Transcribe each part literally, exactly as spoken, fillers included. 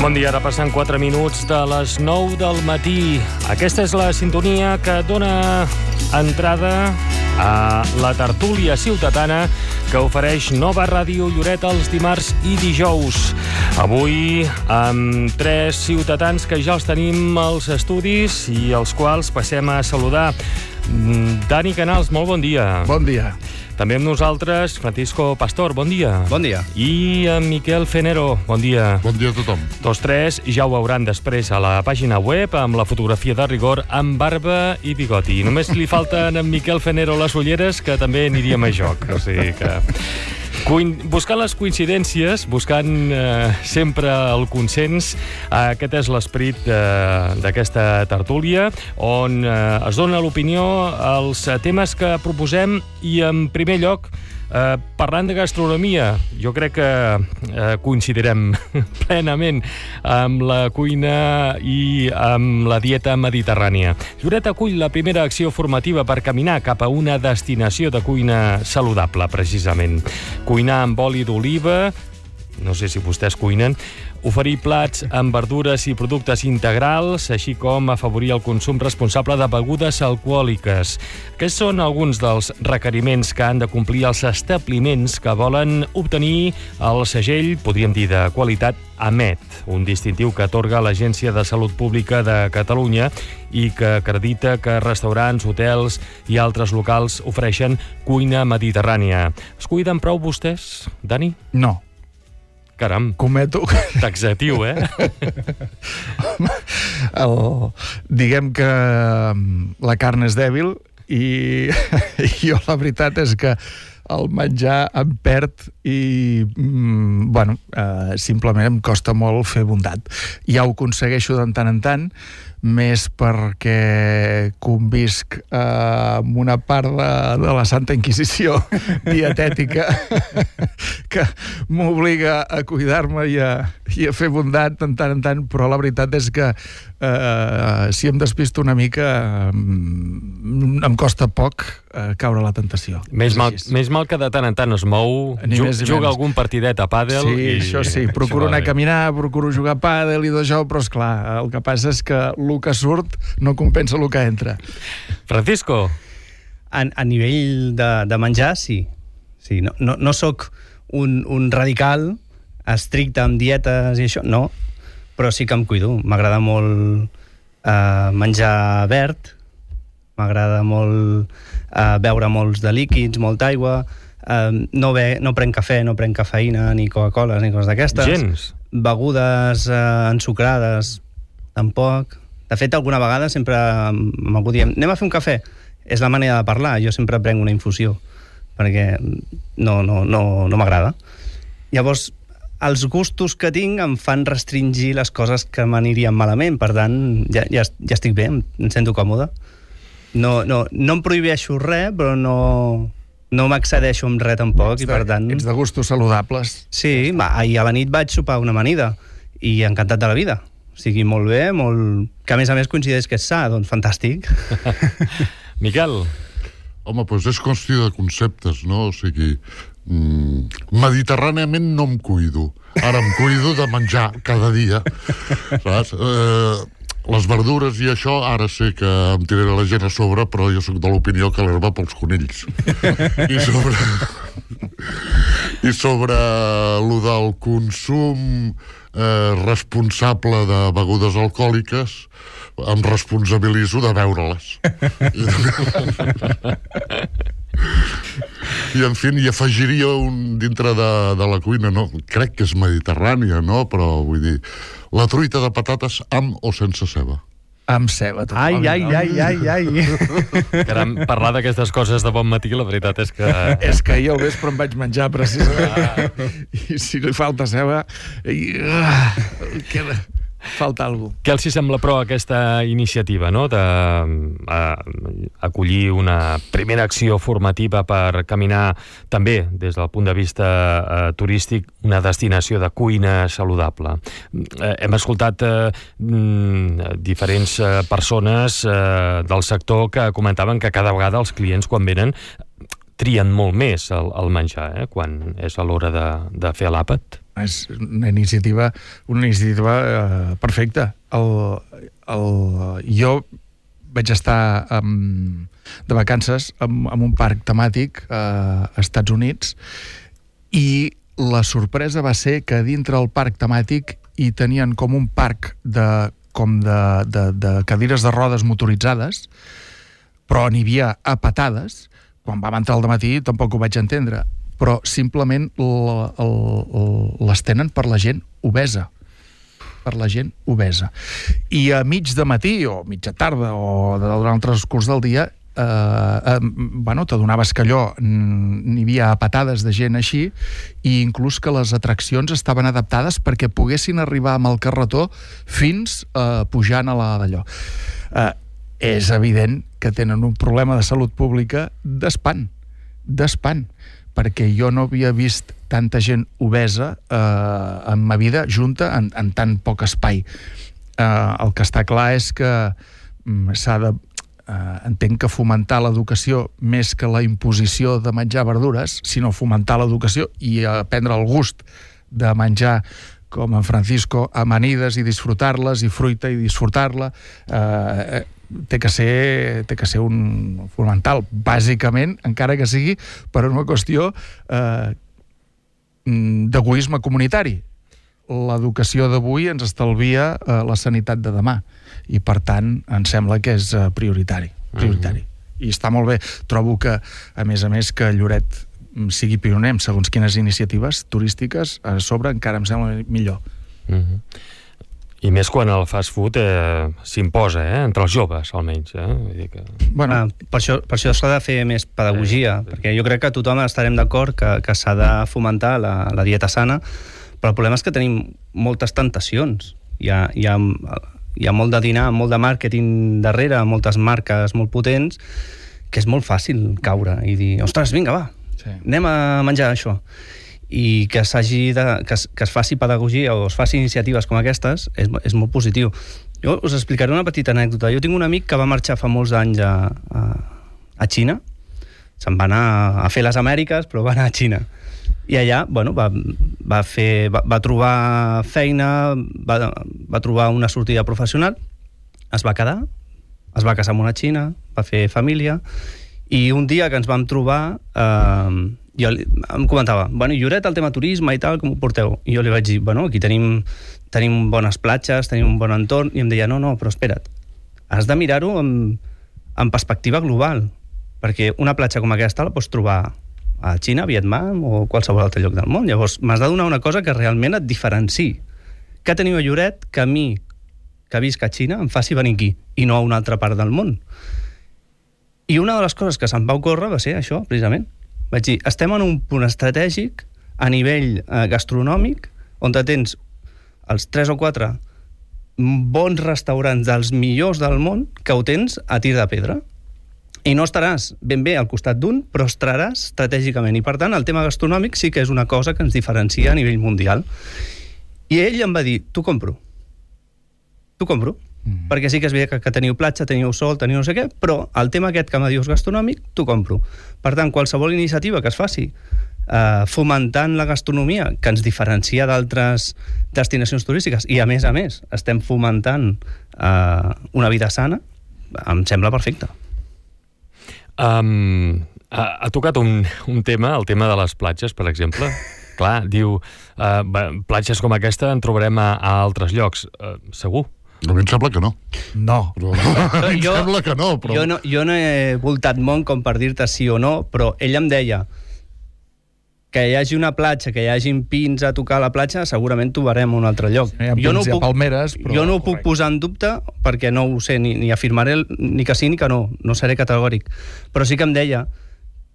Bon dia, ara passant quatre minuts de les nou del matí. Aquesta és la sintonia que dona entrada a la tertúlia ciutadana que ofereix Nova Ràdio Lloret els dimarts i dijous. Avui amb tres ciutadans que ja els tenim als estudis i els quals passem a saludar. Dani Canals, molt bon dia. Bon dia. També amb nosaltres, Francisco Pastor, bon dia. Bon dia. I en Miquel Fenero, bon dia. Bon dia a tothom. Tots tres ja ho veuran després a la pàgina web amb la fotografia de rigor amb barba i bigoti. Només li falten a en Miquel Fenero les ulleres, que també aniríem a joc. O sigui que... Buscant les coincidències, buscant eh, sempre el consens, eh, aquest és l'esperit eh, d'aquesta tertúlia, on eh, es dona l'opinió als temes que proposem i, en primer lloc, eh, parlant de gastronomia, jo crec que eh, coincidirem plenament amb la cuina i amb la dieta mediterrània. Lloret acull la primera acció formativa per caminar cap a una destinació de cuina saludable, precisament. Cuinar amb oli d'oliva, no sé si vostès cuinen, oferir plats amb verdures i productes integrals, així com afavorir el consum responsable de begudes alcohòliques. Aquests són alguns dels requeriments que han de complir els establiments que volen obtenir el segell, podríem dir, de qualitat A M E T, un distintiu que atorga l'Agència de Salut Pública de Catalunya i que acredita que restaurants, hotels i altres locals ofereixen cuina mediterrània. Es cuiden prou vostès, Dani? No. Caram, cometo... taxatiu, eh? El, diguem que la carn és dèbil i jo la veritat és que el menjar em perd i, mm, bueno, eh, simplement em costa molt fer bondat. Ja ho aconsegueixo de tant en tant, més perquè convisc eh, amb una part de, de la Santa Inquisició dietètica que m'obliga a cuidar-me i, a, i a fer bondat de tant en tant, però la veritat és que eh, si em despisto una mica eh, em costa poc eh, caure a la tentació. Més mal, més mal que de tant en tant es mou, ju juga algun partidet a pàdel. Sí, i... això sí, procuro anar a caminar, procuro jugar a pàdel i d'això, però esclar, el que passa és que el que surt no compensa el que entra. Francisco? A, a nivell de, de menjar, sí. sí no, no, no sóc un, un radical estricte amb dietes i això, no, però sí que em cuido. M'agrada molt eh, menjar verd, m'agrada molt eh, beure molts de líquids, molta aigua, eh, no, be, no prenc cafè, no prenc cafeïna, ni Coca-Cola, ni coses d'aquestes. Gens? Begudes eh, ensucrades, tampoc. De fet, alguna vegada sempre amb algú diem, anem a fer un cafè. És la manera de parlar, jo sempre prenc una infusió, perquè no, no, no, no m'agrada. Llavors, els gustos que tinc em fan restringir les coses que m'anirien malament, per tant, ja, ja, ja estic bé, em sento còmode. No, no, no em prohibeixo res, però no, no m'accedeixo amb res tampoc, ets de, i per tant... Ets de gustos saludables. Sí, va, ahir a la nit vaig sopar una amanida, i encantat de la vida. O sigui, molt bé, molt... que a més a més coincideix que és sa, doncs fantàstic. Miquel? Home, doncs és qüestió de conceptes, no? O sigui, mm, mediterràniament no em cuido. Ara em cuido de menjar cada dia, saps? Eh, les verdures i això, ara sé que em tiraré la gent a sobre, però jo soc de l'opinió que l'herba pels conills. I sobre... I sobre lo del consum eh, responsable de begudes alcohòliques, em responsabilitzo de beure-les. I, en fi, hi afegiria un dintre de, de la cuina, no? Crec que és mediterrània, no? Però, vull dir, la truita de patates amb o sense ceba. Amb ceba, tot. Ai, ai, ai, ai, ai. Caram, parlar d'aquestes coses de bon matí, la veritat és que... És que jo al vespre em vaig menjar, precisament. Ah. I si li falta ceba... I... Ah, queda... falta alguna cosa. Què els sembla, però, aquesta iniciativa, no?, de uh, acollir una primera acció formativa per caminar també, des del punt de vista uh, turístic, una destinació de cuina saludable. Uh, hem escoltat uh, diferents uh, persones uh, del sector que comentaven que cada vegada els clients, quan venen, trien molt més el, el menjar, eh? Quan és a l'hora de, de fer l'àpat. És una iniciativa, una iniciativa eh, perfecta. El, el, jo vaig estar um, de vacances en, en un parc temàtic eh, a Estats Units i la sorpresa va ser que dintre del parc temàtic hi tenien com un parc de, com de, de, de cadires de rodes motoritzades, però n'hi havia a patades. Quan vam entrar al matí tampoc ho vaig entendre, però simplement les tenen per la gent obesa. Per la gent obesa. I a mig de matí, o mitja tarda, o durant el transcurs del dia, eh, eh, bueno, t'adonaves que allò n'hi havia patades de gent així, i inclús que les atraccions estaven adaptades perquè poguessin arribar amb el carretó fins eh, pujant a la d'allò. Eh, és evident que tenen un problema de salut pública d'espant, d'espant, perquè jo no havia vist tanta gent obesa eh, en ma vida junta en, en tan poc espai. Eh, el que està clar és que mm, s'ha de... Eh, entenc que fomentar l'educació més que la imposició de menjar verdures, sinó fomentar l'educació i aprendre el gust de menjar com en Francisco, amanides i disfrutar-les, i fruita i disfrutar-la. Eh, té que ser, té que ser un fonamental, bàsicament, encara que sigui per una qüestió eh, d'egoisme comunitari. L'educació d'avui ens estalvia eh, la sanitat de demà, i per tant em sembla que és eh, prioritari, prioritari. Mm-hmm. I està molt bé. Trobo que, a més a més, que Lloret sigui pioner en segons quines iniciatives turístiques, a sobre encara em sembla millor. Mm-hmm. I més quan el fast food eh, s'imposa, eh? Entre els joves, almenys. Eh? Vull dir que... bueno, ah, per això, per això s'ha de fer més pedagogia, eh, perquè jo crec que tothom estarem d'acord que, que s'ha de fomentar la, la dieta sana, però el problema és que tenim moltes tentacions. Hi ha, hi ha, hi ha molt de dinar, molt de màrqueting darrere, moltes marques molt potents, que és molt fàcil caure i dir, ostres, vinga, va, sí, anem a menjar això. I que s'hagi de, que, es, que es faci pedagogia o es faci iniciatives com aquestes és, és molt positiu. Jo us explicaré una petita anècdota. Jo tinc un amic que va marxar fa molts anys a, a, a Xina. Se'n va anar a fer les Amèriques, però va anar a Xina. I allà, bueno, va, va, fer, va, va trobar feina, va, va trobar una sortida professional, es va quedar, es va casar amb una xina, va fer família, i un dia que ens vam trobar... Eh, jo li, em comentava, bueno, Lloret, el tema turisme i tal, com ho porteu? I jo li vaig dir, bueno, aquí tenim, tenim bones platges, tenim un bon entorn, i em deia, no, no, però espera't, has de mirar-ho en, en perspectiva global, perquè una platja com aquesta la pots trobar a Xina, Vietnam o qualsevol altre lloc del món. Llavors, m'has de donar una cosa que realment et diferenciï. Què teniu a Lloret que a mi, que visc a Xina, em faci venir aquí, i no a una altra part del món? I una de les coses que se'm va ocórrer va ser això, precisament. Vaig dir, estem en un punt estratègic a nivell eh, gastronòmic on tens els tres o quatre bons restaurants dels millors del món que ho tens a tir de pedra. I no estaràs ben bé al costat d'un, però estaràs estratègicament. I per tant, el tema gastronòmic sí que és una cosa que ens diferencia a nivell mundial. I ell em va dir, t'ho compro. T'ho compro. Mm. Perquè sí que és bé que, que teniu platja, teniu sol, teniu no sé què, però el tema aquest que me dius gastronòmic, t'ho compro. Per tant, qualsevol iniciativa que es faci eh, fomentant la gastronomia, que ens diferencia d'altres destinacions turístiques, i a més a més estem fomentant eh, una vida sana, em sembla perfecte. Um, ha, ha tocat un, un tema, el tema de les platges, per exemple. Clar, diu, uh, platges com aquesta en trobarem a, a altres llocs. Uh, segur? A mi em sembla que no. No. Però, a mi em jo, sembla que no, però... Jo no, jo no he voltat món com per dir-te sí o no, però ell em deia que hi hagi una platja, que hi hagin pins a tocar a la platja, segurament trobarem un altre lloc. Sí, jo no ho puc, palmeres, però... jo no ho puc posar en dubte, perquè no ho sé, ni, ni afirmaré ni que sí ni que no, no seré categòric. Però sí que em deia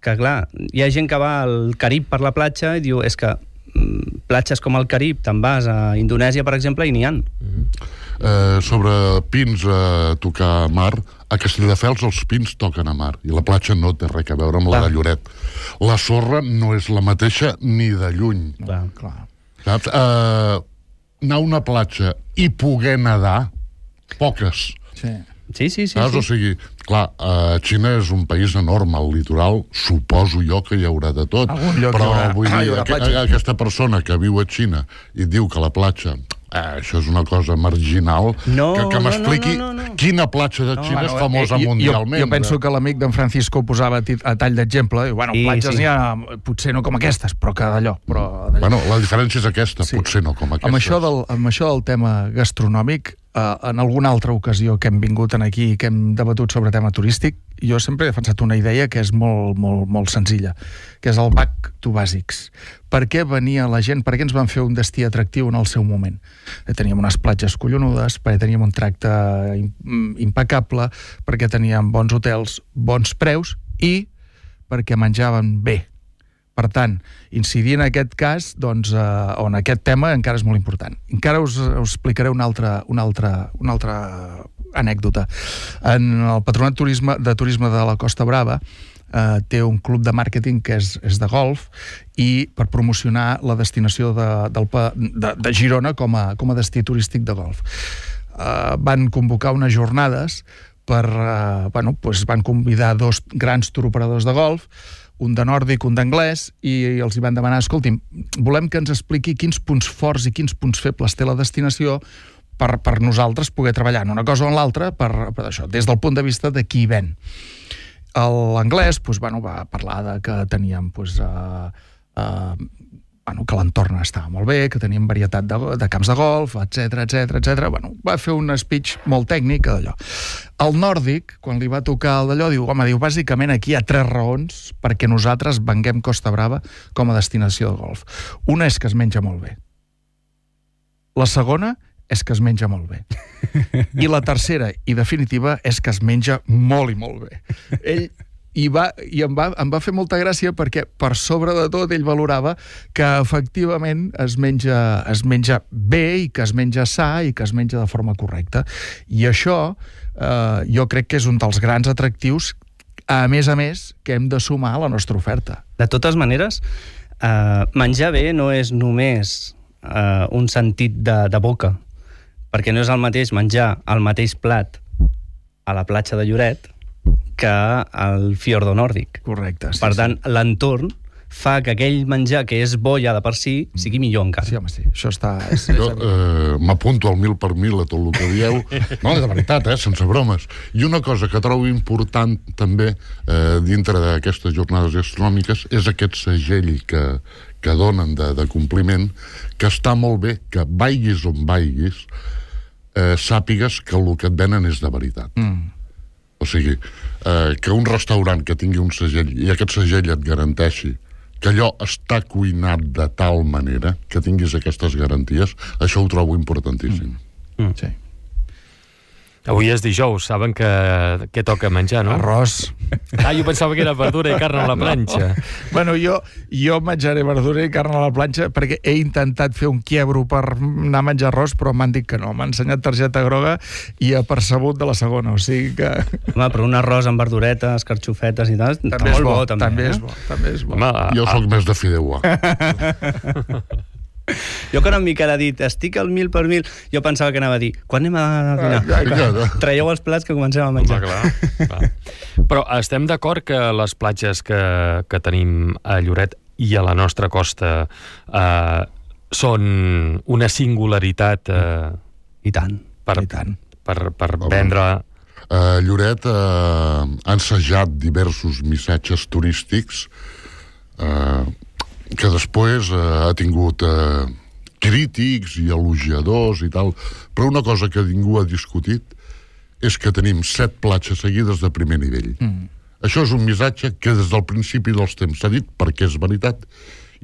que, clar, hi ha gent que va al Carib per la platja i diu, és que mm, platges com el Carib, te'n vas a Indonèsia, per exemple, i n'hi ha. Mm-hmm. Eh, sobre pins a tocar mar, a Castelldefels els pins toquen a mar i la platja no té res a veure amb la de Lloret. La sorra no és la mateixa ni de lluny. Clar, clar. Saps? Eh, anar a una platja i poder nedar, poques. Sí. Sí, sí, sí. Saps? sí. O sigui, clar, uh, Xina és un país enorme, al litoral suposo jo que hi haurà de tot. Algun lloc però hi haurà- vull ah, hi dir, haurà aqu platja. aquesta persona que viu a Xina i diu que la platja... Eh, això és una cosa marginal. No, que, que no, m'expliqui no, no, no. quina platja de Xina és famosa eh, jo- mundialment. Jo, jo penso que l'amic d'en Francisco ho posava a, tit- a tall d'exemple. Diu, bueno, Sí, platges sí. n'hi ha, potser no com aquestes, però que d'allò. Però d'allò. Bueno, la diferència és aquesta, Sí. potser no com aquestes. Amb això, del, amb això del tema gastronòmic, eh, en alguna altra ocasió que hem vingut en aquí i que hem debatut sobre tema turístic, jo sempre he defensat una idea que és molt, molt, molt senzilla, que és el back to basics. Per què venia la gent, per què ens van fer un destí atractiu en el seu moment? Eh, teníem unes platges collonudes, perquè teníem un tracte im- impecable, perquè teníem bons hotels, bons preus i perquè menjaven bé. Per tant, incidir en aquest cas, doncs, eh, o en aquest tema, encara és molt important. Encara us, us explicaré una altra, una altra, una altra anècdota. En el Patronat Turisme, de Turisme de la Costa Brava eh, té un club de màrqueting que és, és de golf i per promocionar la destinació de, del, pa- de, de Girona com a, com a destí turístic de golf. Eh, van convocar unes jornades per, eh, bueno, doncs van convidar dos grans turoperadors de golf, un de nòrdic, un d'anglès, i els hi van demanar, escolti'm, volem que ens expliqui quins punts forts i quins punts febles té la destinació per, per nosaltres poder treballar en una cosa o en l'altra per, per això, des del punt de vista de qui ven. L'anglès doncs, bueno, va parlar de que teníem doncs, uh, uh, bueno, que l'entorn estava molt bé, que teníem varietat de, de camps de golf, etc etc etc. Bueno, va fer un speech molt tècnic d'allò. El nòrdic, quan li va tocar el d'allò, diu, home, diu, bàsicament aquí hi ha tres raons perquè nosaltres venguem Costa Brava com a destinació de golf. Una és que es menja molt bé. La segona és que es menja molt bé. I la tercera i definitiva és que es menja molt i molt bé. Ell i, va, i em, va, em va fer molta gràcia perquè per sobre de tot ell valorava que efectivament es menja, es menja bé i que es menja sa i que es menja de forma correcta. I això eh, jo crec que és un dels grans atractius, a més a més, que hem de sumar a la nostra oferta. De totes maneres, eh, menjar bé no és només eh, un sentit de, de boca, perquè no és el mateix menjar el mateix plat a la platja de Lloret que al fiordo nòrdic. Correcte. Sí, Per sí. tant, l'entorn fa que aquell menjar que és bo ja de per si sigui millor encara. Sí, home, sí. Això està... És, Jo eh, m'apunto al mil per mil a tot el que dieu. No, de veritat, eh, sense bromes. I una cosa que trobo important també eh, dintre d'aquestes jornades gastronòmiques és aquest segell que, que donen de, de compliment, que està molt bé que vaiguis on vaiguis, eh, sàpigues que el que et venen és de veritat. Mm. O sigui, eh, que un restaurant que tingui un segell i aquest segell et garanteixi que allò està cuinat de tal manera que tinguis aquestes garanties, això ho trobo importantíssim. Mm. Sí. Avui és dijous, saben que què toca menjar, no? Arròs. Ah, jo pensava que era verdura i carn a la planxa. Bueno, jo, jo menjaré verdura i carn a la planxa perquè he intentat fer un quiebro per anar a menjar arròs, però m'han dit que no. M'han ensenyat targeta groga i apercebut de la segona, o sigui que... Home, però un arròs amb verduretes, carxofetes i tal, està També és molt bo, bo, també. també eh? és bo, també és bo. Home, Jo a- sóc més de fideuà. Jo quan en Miquel ha dit estic al mil per mil, jo pensava que anava a dir quan anem a dinar? Vinga, Traieu els plats que comencem a Home, menjar. clar, clar. Però estem d'acord que les platges que, que tenim a Lloret i a la nostra costa eh, són una singularitat eh, I tant. per, I tant. per, per Home. vendre... Uh, Lloret uh, ha ensajat diversos missatges turístics uh, que després uh, ha tingut uh, crítics i elogiadors i tal, però una cosa que ningú ha discutit és que tenim set platges seguides de primer nivell. Mm. Això és un missatge que des del principi dels temps s'ha dit perquè és veritat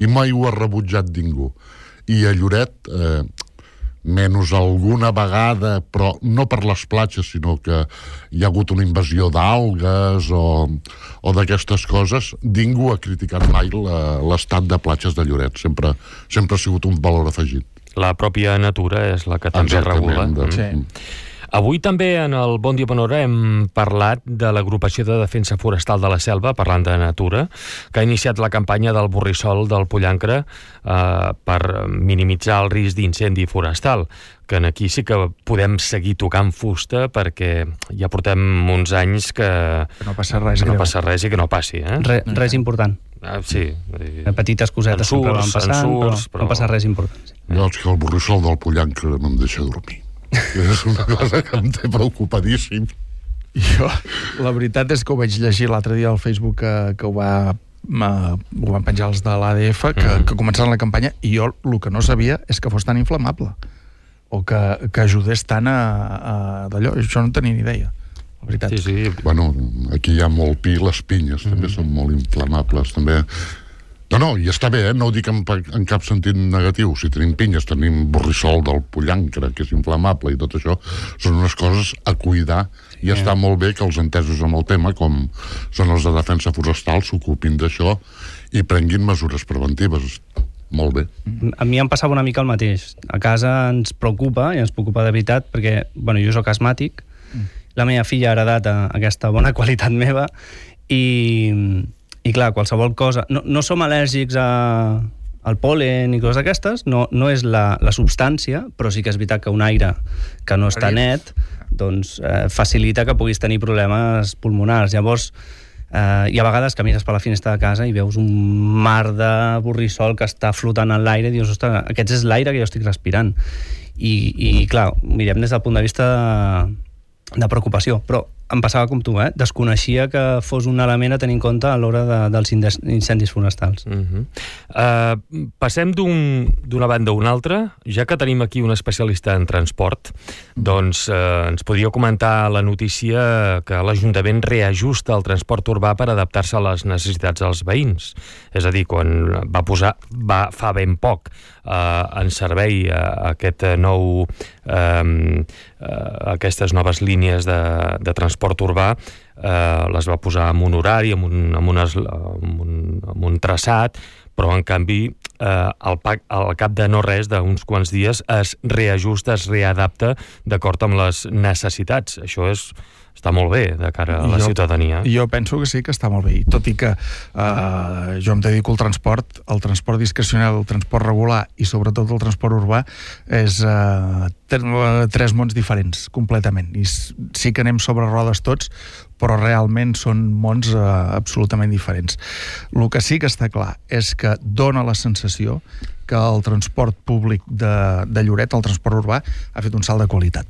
i mai ho ha rebutjat ningú. I a Lloret... Eh, menys alguna vegada, però no per les platges, sinó que hi ha hagut una invasió d'algues o, o d'aquestes coses, ningú ha criticat mai la- l'estat de platges de Lloret. Sempre, sempre ha sigut un valor afegit. La pròpia natura és la que també Exactament, regula. de- Sí. Mm. Avui també en el Bon Dia Bonhora hem parlat de l'Agrupació de Defensa Forestal de la Selva, parlant de natura, que ha iniciat la campanya del borrissol del Pollancre eh, per minimitzar el risc d'incendi forestal, que aquí sí que podem seguir tocant fusta perquè ja portem uns anys que, que no passa res, que no passa res i que no passi. Eh? Re, res important. Ah, sí. Petites cosetes sempre van passant, ensurts, però no passa res important. Sí. Jo, és que el borrissol del Pollancre no em deixa dormir. És una cosa que em té preocupadíssim. Jo, la veritat és que ho vaig llegir l'altre dia al Facebook que, que ho va ho van penjar els de l'A D F que, mm. que començaran la campanya, i jo el que no sabia és que fos tan inflamable o que, que ajudés tant a, a d'allò. Això no en tenia ni idea, la veritat. Sí, sí. Bueno, aquí hi ha molt pi, les pinyes mm. també són molt inflamables, també. No, no, i està bé, eh? No ho dic en, en cap sentit negatiu. Si tenim pinyes, tenim borrissol del Pollancre, que és inflamable, i tot això són unes coses a cuidar, i yeah. està molt bé que els entesos amb el tema, com són els de defensa forestal, s'ocupin d'això i prenguin mesures preventives. Molt bé. A mi em passava una mica el mateix. A casa ens preocupa, i ens preocupa de veritat, perquè, bueno, jo soc asmàtic, mm. la meva filla ha heredat aquesta bona qualitat meva, i, i clar, qualsevol cosa... No, no som al·lèrgics a, al pol·len i coses d'aquestes, no, no és la, la substància, però sí que és veritat que un aire que no està net, doncs eh, facilita que puguis tenir problemes pulmonars. Llavors, Uh, i a vegades que mires per la finestra de casa i veus un mar de borrissol que està flotant en l'aire i dius, ostres, aquest és l'aire que jo estic respirant. I, i clar, mirem des del punt de vista de, de preocupació, però em passava com tu, eh? Desconeixia que fos un element a tenir en compte a l'hora de, dels incendis forestals. Uh-huh. uh, passem d'una banda a una altra. Ja que tenim aquí un especialista en transport, doncs uh, ens podria comentar la notícia que l'Ajuntament reajusta el transport urbà per adaptar-se a les necessitats dels veïns. És a dir, quan va posar, va, fa ben poc, uh, en servei uh, aquest nou, um, uh, aquestes noves línies de, de transport transport urbà, eh, les va posar en un horari, en un, en unes, en un, en un traçat, però en canvi eh, al, al cap de no res, d'uns quants dies, es reajusta, es readapta d'acord amb les necessitats. Això és, està molt bé de cara a la jo, ciutadania. Jo penso que sí que està molt bé, i tot i que eh, jo em dedico al transport, el transport discrecional, el transport regular i sobretot el transport urbà és eh, tres mons diferents, completament. I sí que anem sobre rodes tots, però realment són mons eh, absolutament diferents. El que sí que està clar és que dona la sensació que el transport públic de, de Lloret, el transport urbà, ha fet un salt de qualitat.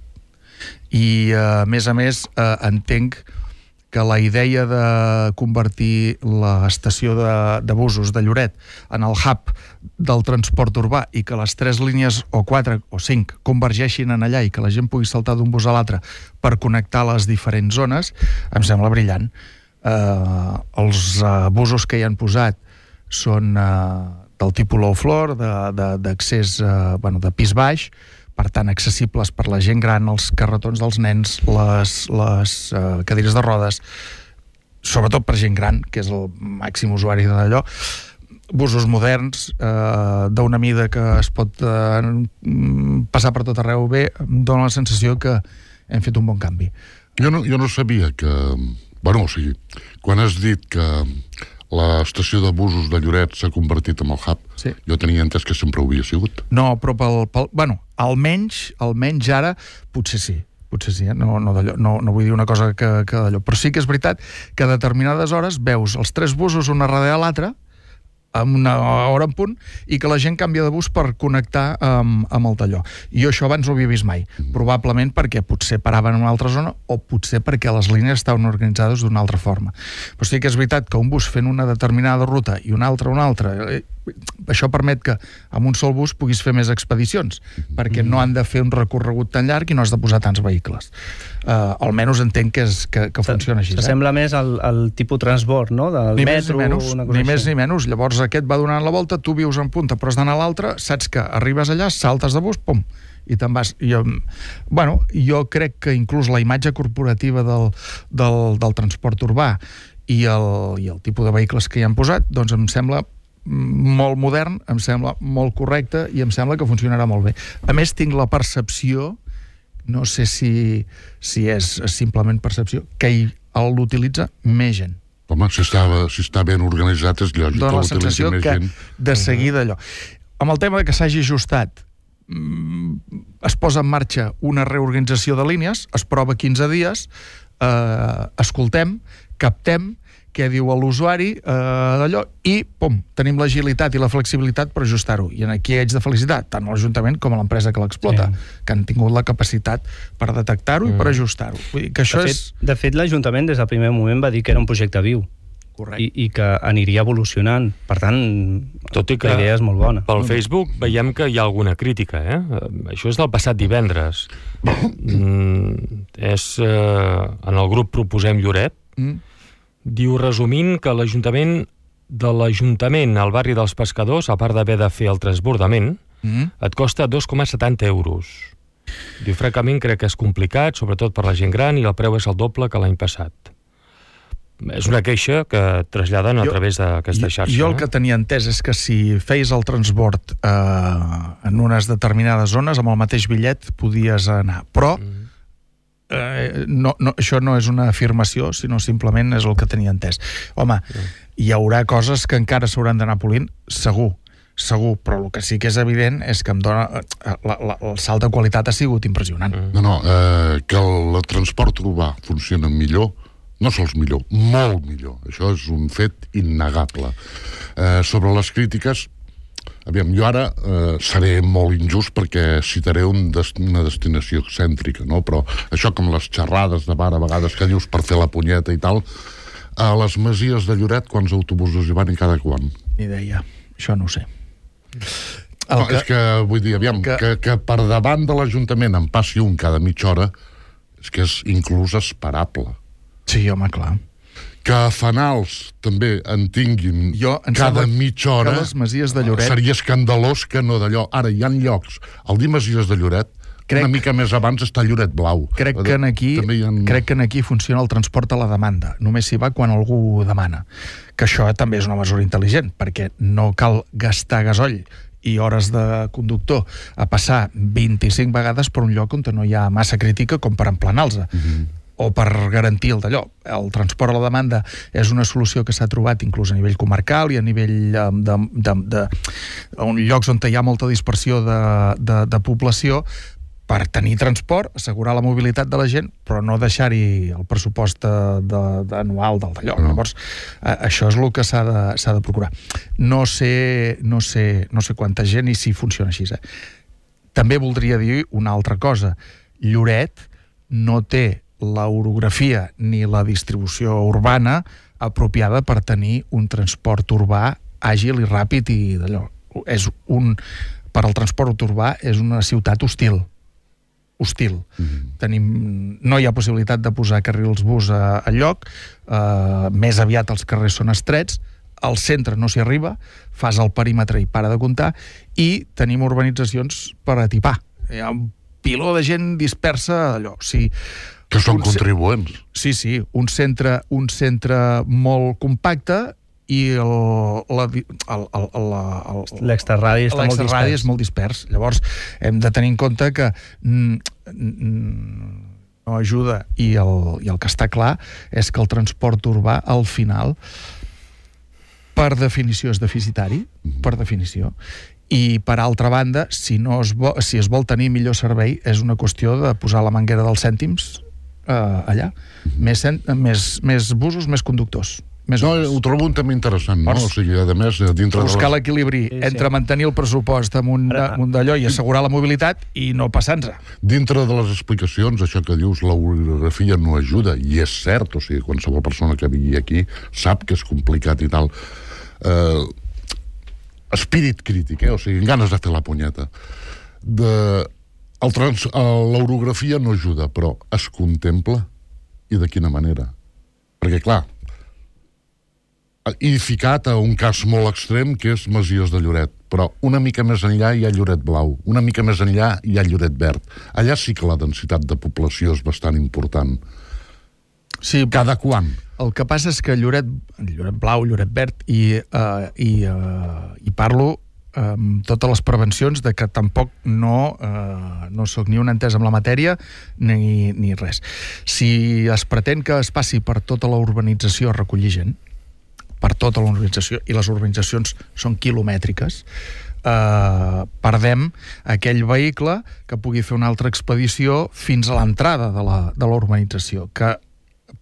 I a més a més eh, entenc que la idea de convertir l'estació de, de busos de Lloret en el hub del transport urbà i que les tres línies o quatre o cinc convergeixin en allà i que la gent pugui saltar d'un bus a l'altre per connectar les diferents zones, em sembla brillant. Eh, els eh, busos que hi han posat són eh, del tipus low floor, d'accés eh, bueno, de pis baix, per tant accessibles per la gent gran, els carretons dels nens, les, les uh, cadires de rodes, sobretot per gent gran, que és el màxim usuari d'allò, busos moderns, eh, d'una mida que es pot eh, passar per tot arreu bé, em dona la sensació que hem fet un bon canvi. Jo no, jo no sabia que... Bueno, o sigui, quan has dit que l'estació de busos de Lloret s'ha convertit en el hub, sí. Jo tenia entès que sempre ho havia sigut. No, però pel... pel bueno, almenys, almenys ara, potser sí. Potser sí, eh? no, no, no, no vull dir una cosa que, que d'allò. Però sí que és veritat que a determinades hores veus els tres busos una darrere l'altra, amb una hora en punt, i que la gent canvia de bus per connectar amb, amb el d'allò. I jo això abans no ho havia vist mai. Probablement perquè potser paraven en una altra zona o potser perquè les línies estaven organitzades d'una altra forma. Però sí que és veritat que un bus fent una determinada ruta i una altra una altra, això permet que amb un sol bus puguis fer més expedicions, perquè no han de fer un recorregut tan llarg i no has de posar tants vehicles. Uh, almenys entenc que, és, que, que funciona així. S'assembla eh? més al, al tipus transport, no? Del ni metro, més ni menys, una cosa ni així. més ni menys. Llavors aquest va donant la volta, tu vius en punta però has d'anar a l'altra, saps que arribes allà, saltes de bus, pum, i te'n vas. Jo, bueno, jo crec que inclús la imatge corporativa del, del, del transport urbà i el, i el tipus de vehicles que hi han posat, doncs em sembla molt modern, em sembla molt correcte i em sembla que funcionarà molt bé. A més, tinc la percepció no sé si, si és simplement percepció, que hi- l'utilitza més gent. Home, si està, si està ben organitzat és lògic Dóna la que l'utilitzi sensació més que gent. de seguida allò. Amb el tema de que s'hagi ajustat, mm, es posa en marxa una reorganització de línies, es prova quinze dies, eh, escoltem, captem, què diu l'usuari, eh, d'allò, i, pum, tenim l'agilitat i la flexibilitat per ajustar-ho. I aquí haig de felicitar tant l'Ajuntament com a l'empresa que l'explota, Sí. que han tingut la capacitat per detectar-ho mm. i per ajustar-ho. Vull dir que això De fet, és... de fet l'Ajuntament des del primer moment va dir que era un projecte viu Correcte. i, i que aniria evolucionant. Per tant, Tot i que la idea és molt bona. pel Facebook veiem que hi ha alguna crítica, eh? Eh, Això és del passat divendres. Mm, és... Eh, en el grup Proposem Lloret, Mm. diu, resumint, que l'Ajuntament de l'Ajuntament al barri dels Pescadors, a part d'haver de fer el transbordament, Mm. et costa dos coma setanta euros. Diu, francament, crec que és complicat, sobretot per la gent gran, i el preu és el doble que l'any passat. És una queixa que traslladen a Jo- través d'aquesta xarxa. Jo el eh? que tenia entès és que si feies el transbord eh, en unes determinades zones, amb el mateix bitllet podies anar. Però Mm. eh, no, no, això no és una afirmació, sinó simplement és el que tenia entès. Home, hi haurà coses que encara s'hauran d'anar polint, segur, segur, però el que sí que és evident és que em dona... eh, La, la, el salt de qualitat ha sigut impressionant. Mm. No, no, eh, que el, el transport urbà funciona millor, no sols millor, molt millor. Això és un fet innegable. Eh, sobre les crítiques, aviam, jo ara eh, seré molt injust perquè citaré un des, una destinació excèntrica, no? Però això com les xerrades de bar a vegades que dius per fer la punyeta i tal, a les Masies de Lloret quants autobusos hi van i cada quan? Ni idea, això no ho sé. El no, que, és que, vull dir, aviam, que... Que, que per davant de l'Ajuntament en passi un cada mitja hora, és que és inclús esperable. Sí, home, clar. Que a Fanals també en tinguin Jo, em cada sembla mitja hora, que les Masies de Lloret... seria escandalós que no d'allò. Ara, hi ha llocs, al dir Masies de Lloret, Crec- una mica més abans està Lloret Blau. Crec que, en aquí, També hi ha... crec que en aquí funciona el transport a la demanda. Només s'hi va quan algú demana. Que això també és una mesura intel·ligent, perquè no cal gastar gasoll i hores de conductor a passar vint-i-cinc vegades per un lloc on no hi ha massa crítica com per emplenar-los. Mm-hmm. O per garantir el d'allò. El transport a la demanda és una solució que s'ha trobat inclús a nivell comarcal i a nivell de, de, de, de, de llocs on hi ha molta dispersió de, de, de població, per tenir transport, assegurar la mobilitat de la gent, però no deixar-hi el pressupost de, de, de anual del d'allò. No. Llavors, a, això és el que s'ha de, s'ha de procurar. No sé, no, sé, no sé quanta gent i si funciona així. Eh? També voldria dir una altra cosa. Lloret no té l'orografia ni la distribució urbana apropiada per tenir un transport urbà àgil i ràpid i d'allò. És un, per al transport urbà és una ciutat hostil. hostil. Mm-hmm. Tenim, no hi ha possibilitat de posar carrils bus a, a lloc, eh, més aviat els carrers són estrets, al centre no s'hi arriba, fas el perímetre i para de comptar, i tenim urbanitzacions per atipar. Hi ha un piló de gent dispersa allò. O sigui, Que són un, contribuents. Sí, sí, un centre, un centre molt compacte i el, la, el, el, el, el, L'extraradi està molt l'extraradi dispers. és molt dispers. Llavors, hem de tenir en compte que mm, mm, no ajuda i el, i el que està clar és que el transport urbà, al final, per definició és deficitari, per definició, i per altra banda, si, no es vol, si es vol tenir millor servei, és una qüestió de posar la manguera dels cèntims eh, allà. Més, cent, més, més busos, més conductors. Més No, hores. ho trobo un tema interessant, no? Llavors, O sigui, a més, dintre de buscar les... l'equilibri Sí, sí. entre mantenir el pressupost amb un, Ara- amb un d'allò i assegurar la mobilitat i no passar-nos. Dintre de les explicacions, això que dius, l'orografia no ajuda, i és cert, o sigui, qualsevol persona que vingui aquí sap que és complicat i tal. Eh, espírit crític, eh? O sigui, ganes de fer la punyeta. De... El trans... L'orografia no ajuda, però es contempla, i de quina manera. Perquè, clar, i ficat a un cas molt extrem que és Masies de Lloret, però una mica més enllà hi ha Lloret Blau, una mica més enllà hi ha Lloret Verd. Allà sí que la densitat de població és bastant important. Sí, Cada quan? el que passa és que Lloret, Lloret Blau, Lloret Verd, i, uh, i, uh, i parlo amb totes les prevencions de que tampoc no, eh, no soc ni un entès amb la matèria ni, ni res. Si es pretén que es passi per tota la urbanització a recollir gent, per tota la urbanització, i les urbanitzacions són quilomètriques, eh, perdem aquell vehicle que pugui fer una altra expedició fins a l'entrada de la, de la urbanització, que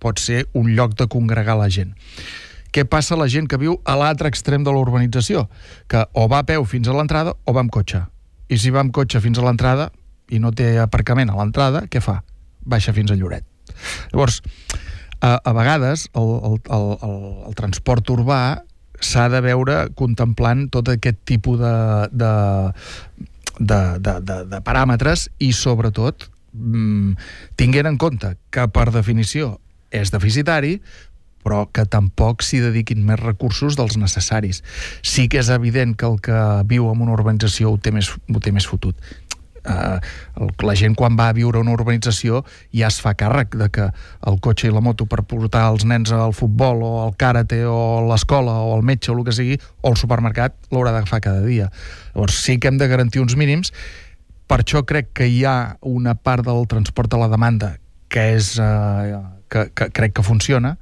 pot ser un lloc de congregar la gent. Què passa a la gent que viu a l'altre extrem de la urbanització? Que o va a peu fins a l'entrada o va amb cotxe. I si va amb cotxe fins a l'entrada i no té aparcament a l'entrada, què fa? Baixa fins a Lloret. Llavors, a, a vegades el, el, el, el, el transport urbà s'ha de veure contemplant tot aquest tipus de, de, de, de, de, de paràmetres i, sobretot, mmm, tinguent en compte que, per definició, és deficitari, però que tampoc s'hi dediquin més recursos dels necessaris. Sí que és evident que el que viu en una urbanització ho té més, ho té més fotut. Uh, el, la gent, quan va a viure a una urbanització, ja es fa càrrec de que el cotxe i la moto per portar els nens al futbol o al karate o a l'escola o al metge o el que sigui, o al supermercat, l'haurà d'agafar cada dia. Llavors sí que hem de garantir uns mínims. Per això crec que hi ha una part del transport a la demanda que és uh, que, que crec que funciona,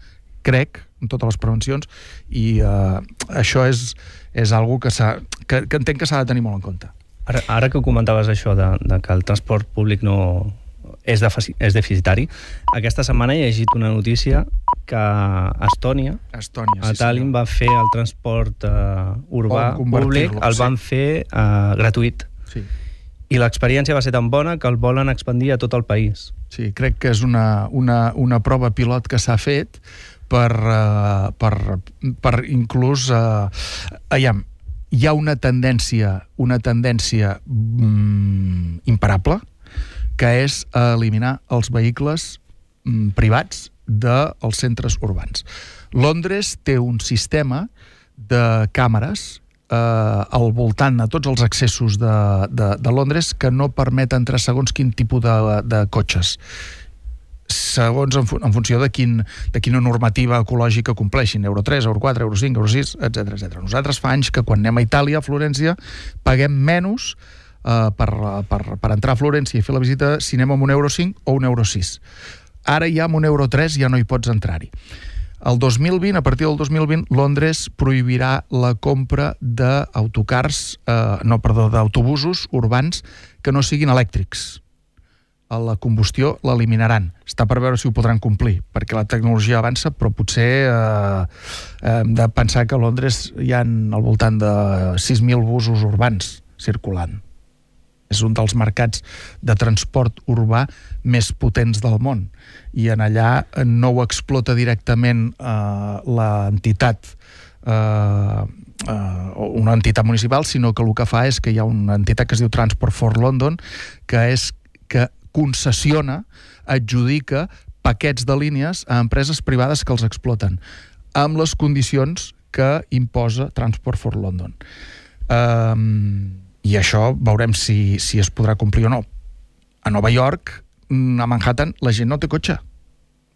crec, amb totes les prevencions, i uh, això és, és algo que, que, que entenc que s'ha de tenir molt en compte. Ara, ara que comentaves això de, de que el transport públic no és, defici, és deficitari, aquesta setmana he llegit una notícia que a Estònia, Estònia a sí, Tallinn, senyor. va fer el transport uh, urbà públic, el van sí. fer uh, gratuït. Sí. I l'experiència va ser tan bona que el volen expandir a tot el país. Sí, crec que és una, una, una prova pilot que s'ha fet per, uh, per, per inclús uh, aviam, hi ha una tendència una tendència mm, imparable, que és eliminar els vehicles mm, privats dels centres urbans. Londres té un sistema de càmeres eh, al voltant de tots els accessos de, de, de Londres que no permet entrar segons quin tipus de, de cotxes, segons en, en funció de, quin, de quina normativa ecològica compleixin, euro tres, euro quatre, euro cinc, euro sis, etcètera etcètera. Nosaltres fa anys que quan anem a Itàlia, a Florència, paguem menys eh, per, per, per entrar a Florència i fer la visita si anem amb un euro cinc o un euro sis. Ara ja amb un euro tres ja no hi pots entrar-hi. El dos mil vint, a partir del dos mil vint, Londres prohibirà la compra d'autocars, eh, no, perdó, d'autobusos urbans que no siguin elèctrics. A la combustió l'eliminaran. Està per veure si ho podran complir, perquè la tecnologia avança, però potser eh, hem de pensar que a Londres hi ha al voltant de sis mil busos urbans circulant. És un dels mercats de transport urbà més potents del món, i en allà no ho explota directament eh, l'entitat eh, eh, una entitat municipal, sinó que el que fa és que hi ha una entitat que es diu Transport for London, que és que concessiona, adjudica paquets de línies a empreses privades que els exploten, amb les condicions que imposa Transport for London. Um, I això veurem si, si es podrà complir o no. A Nova York, a Manhattan, la gent no té cotxe.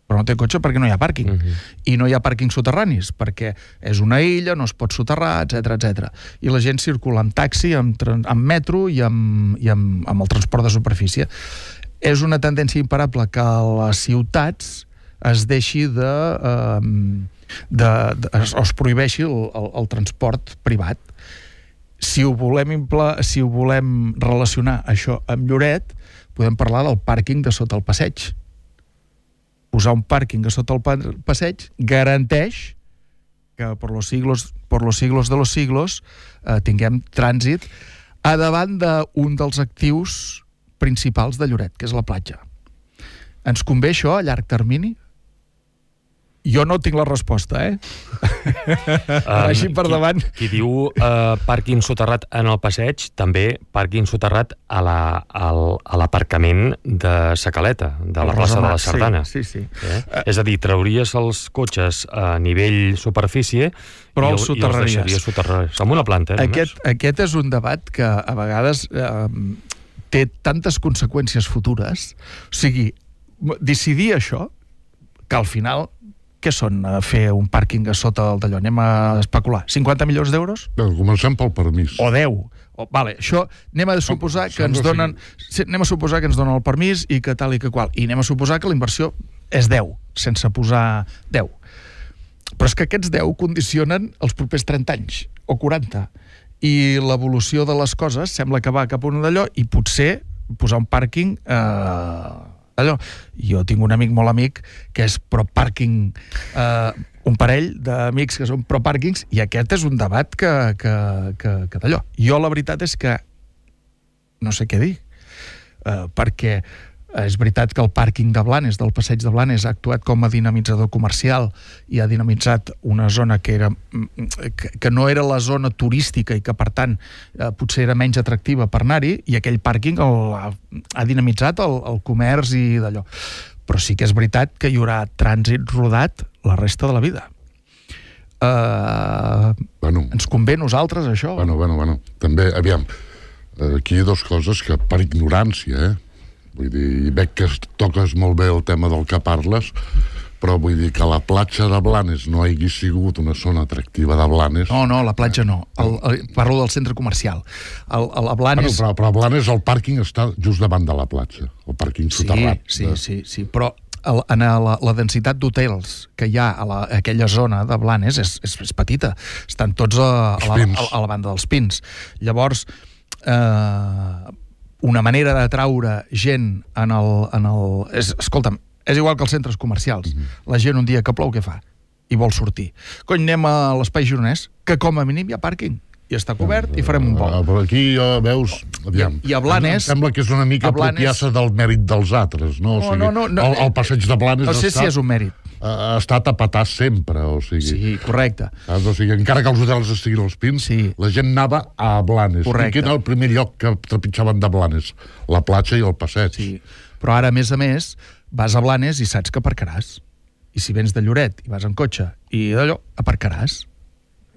Però no té cotxe perquè no hi ha pàrquing. Uh-huh. I no hi ha pàrquings soterranis, perquè és una illa, no es pot soterrar, etcètera etcètera. I la gent circula amb taxi, amb, amb metro i, amb, i amb, amb el transport de superfície. És una tendència imparable que a les ciutats es deixi de... Eh, de, de es, es prohibeixi el, el, el transport privat. Si ho volem impla, si ho volem relacionar això amb Lloret, podem parlar del pàrquing de sota el passeig. Posar un pàrquing a sota el passeig garanteix que per los siglos, per los siglos de los siglos eh, tinguem trànsit a davant d'un dels actius principals de Lloret, que és la platja. Ens convé això a llarg termini? Jo no tinc la resposta, eh? Um, Així per qui, davant. Qui diu uh, pàrquing soterrat en el passeig, també pàrquing soterrat a la, al, a l'aparcament de Sa Caleta, de la plaça de la Sardana. Sí, sí, sí. Eh? Uh, És a dir, trauries els cotxes a nivell superfície, però i, els i els deixaries soterrats amb una planta. Eh, aquest, aquest és un debat que a vegades eh, té tantes conseqüències futures. O sigui, decidir això, que al final què són uh, fer un pàrquing a sota d'allò? Anem a especular. cinquanta milions d'euros? Bé, comencem pel permís. O deu. O, vale, això anem a suposar que ens donen sí, anem a suposar que ens donen el permís i que tal i que qual. I anem a suposar que la inversió és deu, sense posar deu. Però és que aquests deu condicionen els propers trenta anys, o quaranta. I l'evolució de les coses sembla que va cap a un d'allò i potser posar un pàrquing eh, allò. Jo tinc un amic molt amic que és pro-pàrquing, eh, un parell d'amics que són pro-pàrquings, i aquest és un debat que, que, que, que d'allò. Jo la veritat és que no sé què dir, eh, perquè és veritat que el pàrquing de Blanes, del passeig de Blanes, ha actuat com a dinamitzador comercial i ha dinamitzat una zona que, era, que, que no era la zona turística i que, per tant, eh, potser era menys atractiva per anar-hi, i aquell pàrquing el, ha, ha dinamitzat el, el comerç i d'allò. Però sí que és veritat que hi haurà trànsit rodat la resta de la vida. Uh, bueno, ens convé a nosaltres, això? Bueno, bueno, bueno. També, aviam, aquí hi ha dues coses que, per ignorància, eh? Vull dir, veig que toques molt bé el tema del que parles, però vull dir que la platja de Blanes no hagi sigut una zona atractiva de Blanes. No, no, la platja no. El, el, parlo del centre comercial. El, el, a Blanes... Bueno, però, però a Blanes el pàrquing està just davant de la platja, el pàrquing soterrat. Sí, de... sí, sí, però el, en la, la densitat d'hotels que hi ha a, la, a aquella zona de Blanes és, és, és petita. Estan tots a, a, la, a, a la banda dels Pins. Llavors... Eh, una manera d'atraure gent en el... En el és, escolta'm, és igual que els centres comercials. Mm-hmm. La gent un dia que plou, què fa? I vol sortir. Cony, anem a l'espai gironès, que com a mínim hi ha pàrquing. I està cobert i farem un vol. Però aquí ja veus... Aviam, I a Blanes... Em sembla que és una mica Blanes... apropiar-se del mèrit dels altres, no? O sigui, no, no, no, el, el passeig de Blanes... No sé està... si és un mèrit. Ha estat a petar sempre, o sigui... Sí, correcte. Saps? O sigui, encara que els hotels estiguin als Pins, sí. La gent anava a Blanes. Correcte. I quin era el primer lloc que trepitjaven de Blanes? La platja i el passeig. Sí, però ara, a més a més, vas a Blanes i saps que aparcaràs. I si vens de Lloret i vas en cotxe i d'allò, aparcaràs.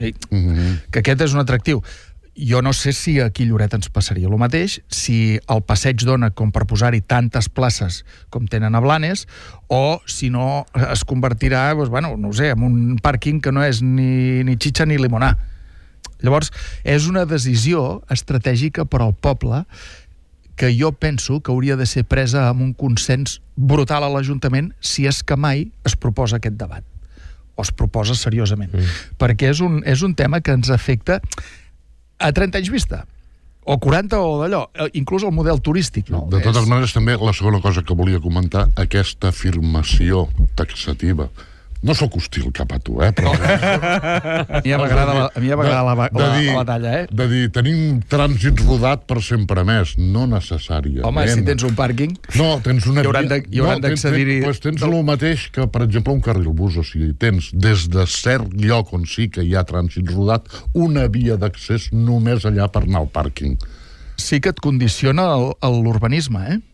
I, mm-hmm. Que aquest és un atractiu. Jo no sé si aquí a Lloret ens passaria el mateix, si el passeig dona com per posar-hi tantes places com tenen a Blanes, o si no es convertirà, doncs, bueno, no ho sé, en un pàrquing que no és ni, ni xitxa ni limonar. Llavors, és una decisió estratègica per al poble que jo penso que hauria de ser presa amb un consens brutal a l'Ajuntament, si és que mai es proposa aquest debat, o es proposa seriosament. Mm. Perquè és un, és un tema que ens afecta a trenta anys vista, o quaranta, o d'allò, inclús el model turístic, no? De totes és... maneres, també la segona cosa que volia comentar, aquesta afirmació taxativa. No sóc hostil cap a tu, eh? Però... a mi m'agrada la, a mi m'agrada la, la, la, la batalla, eh? De dir, tenim trànsit rodat per sempre més, no necessàriament. Home, si tens un pàrquing... No, tens una... Hi hauran d'accedir-hi... No, tens, tens, tens el mateix que, per exemple, un carril bus, o sigui, tens des de cert lloc on sí que hi ha trànsit rodat, una via d'accés només allà per anar al pàrquing. Sí que et condiciona l'urbanisme, eh?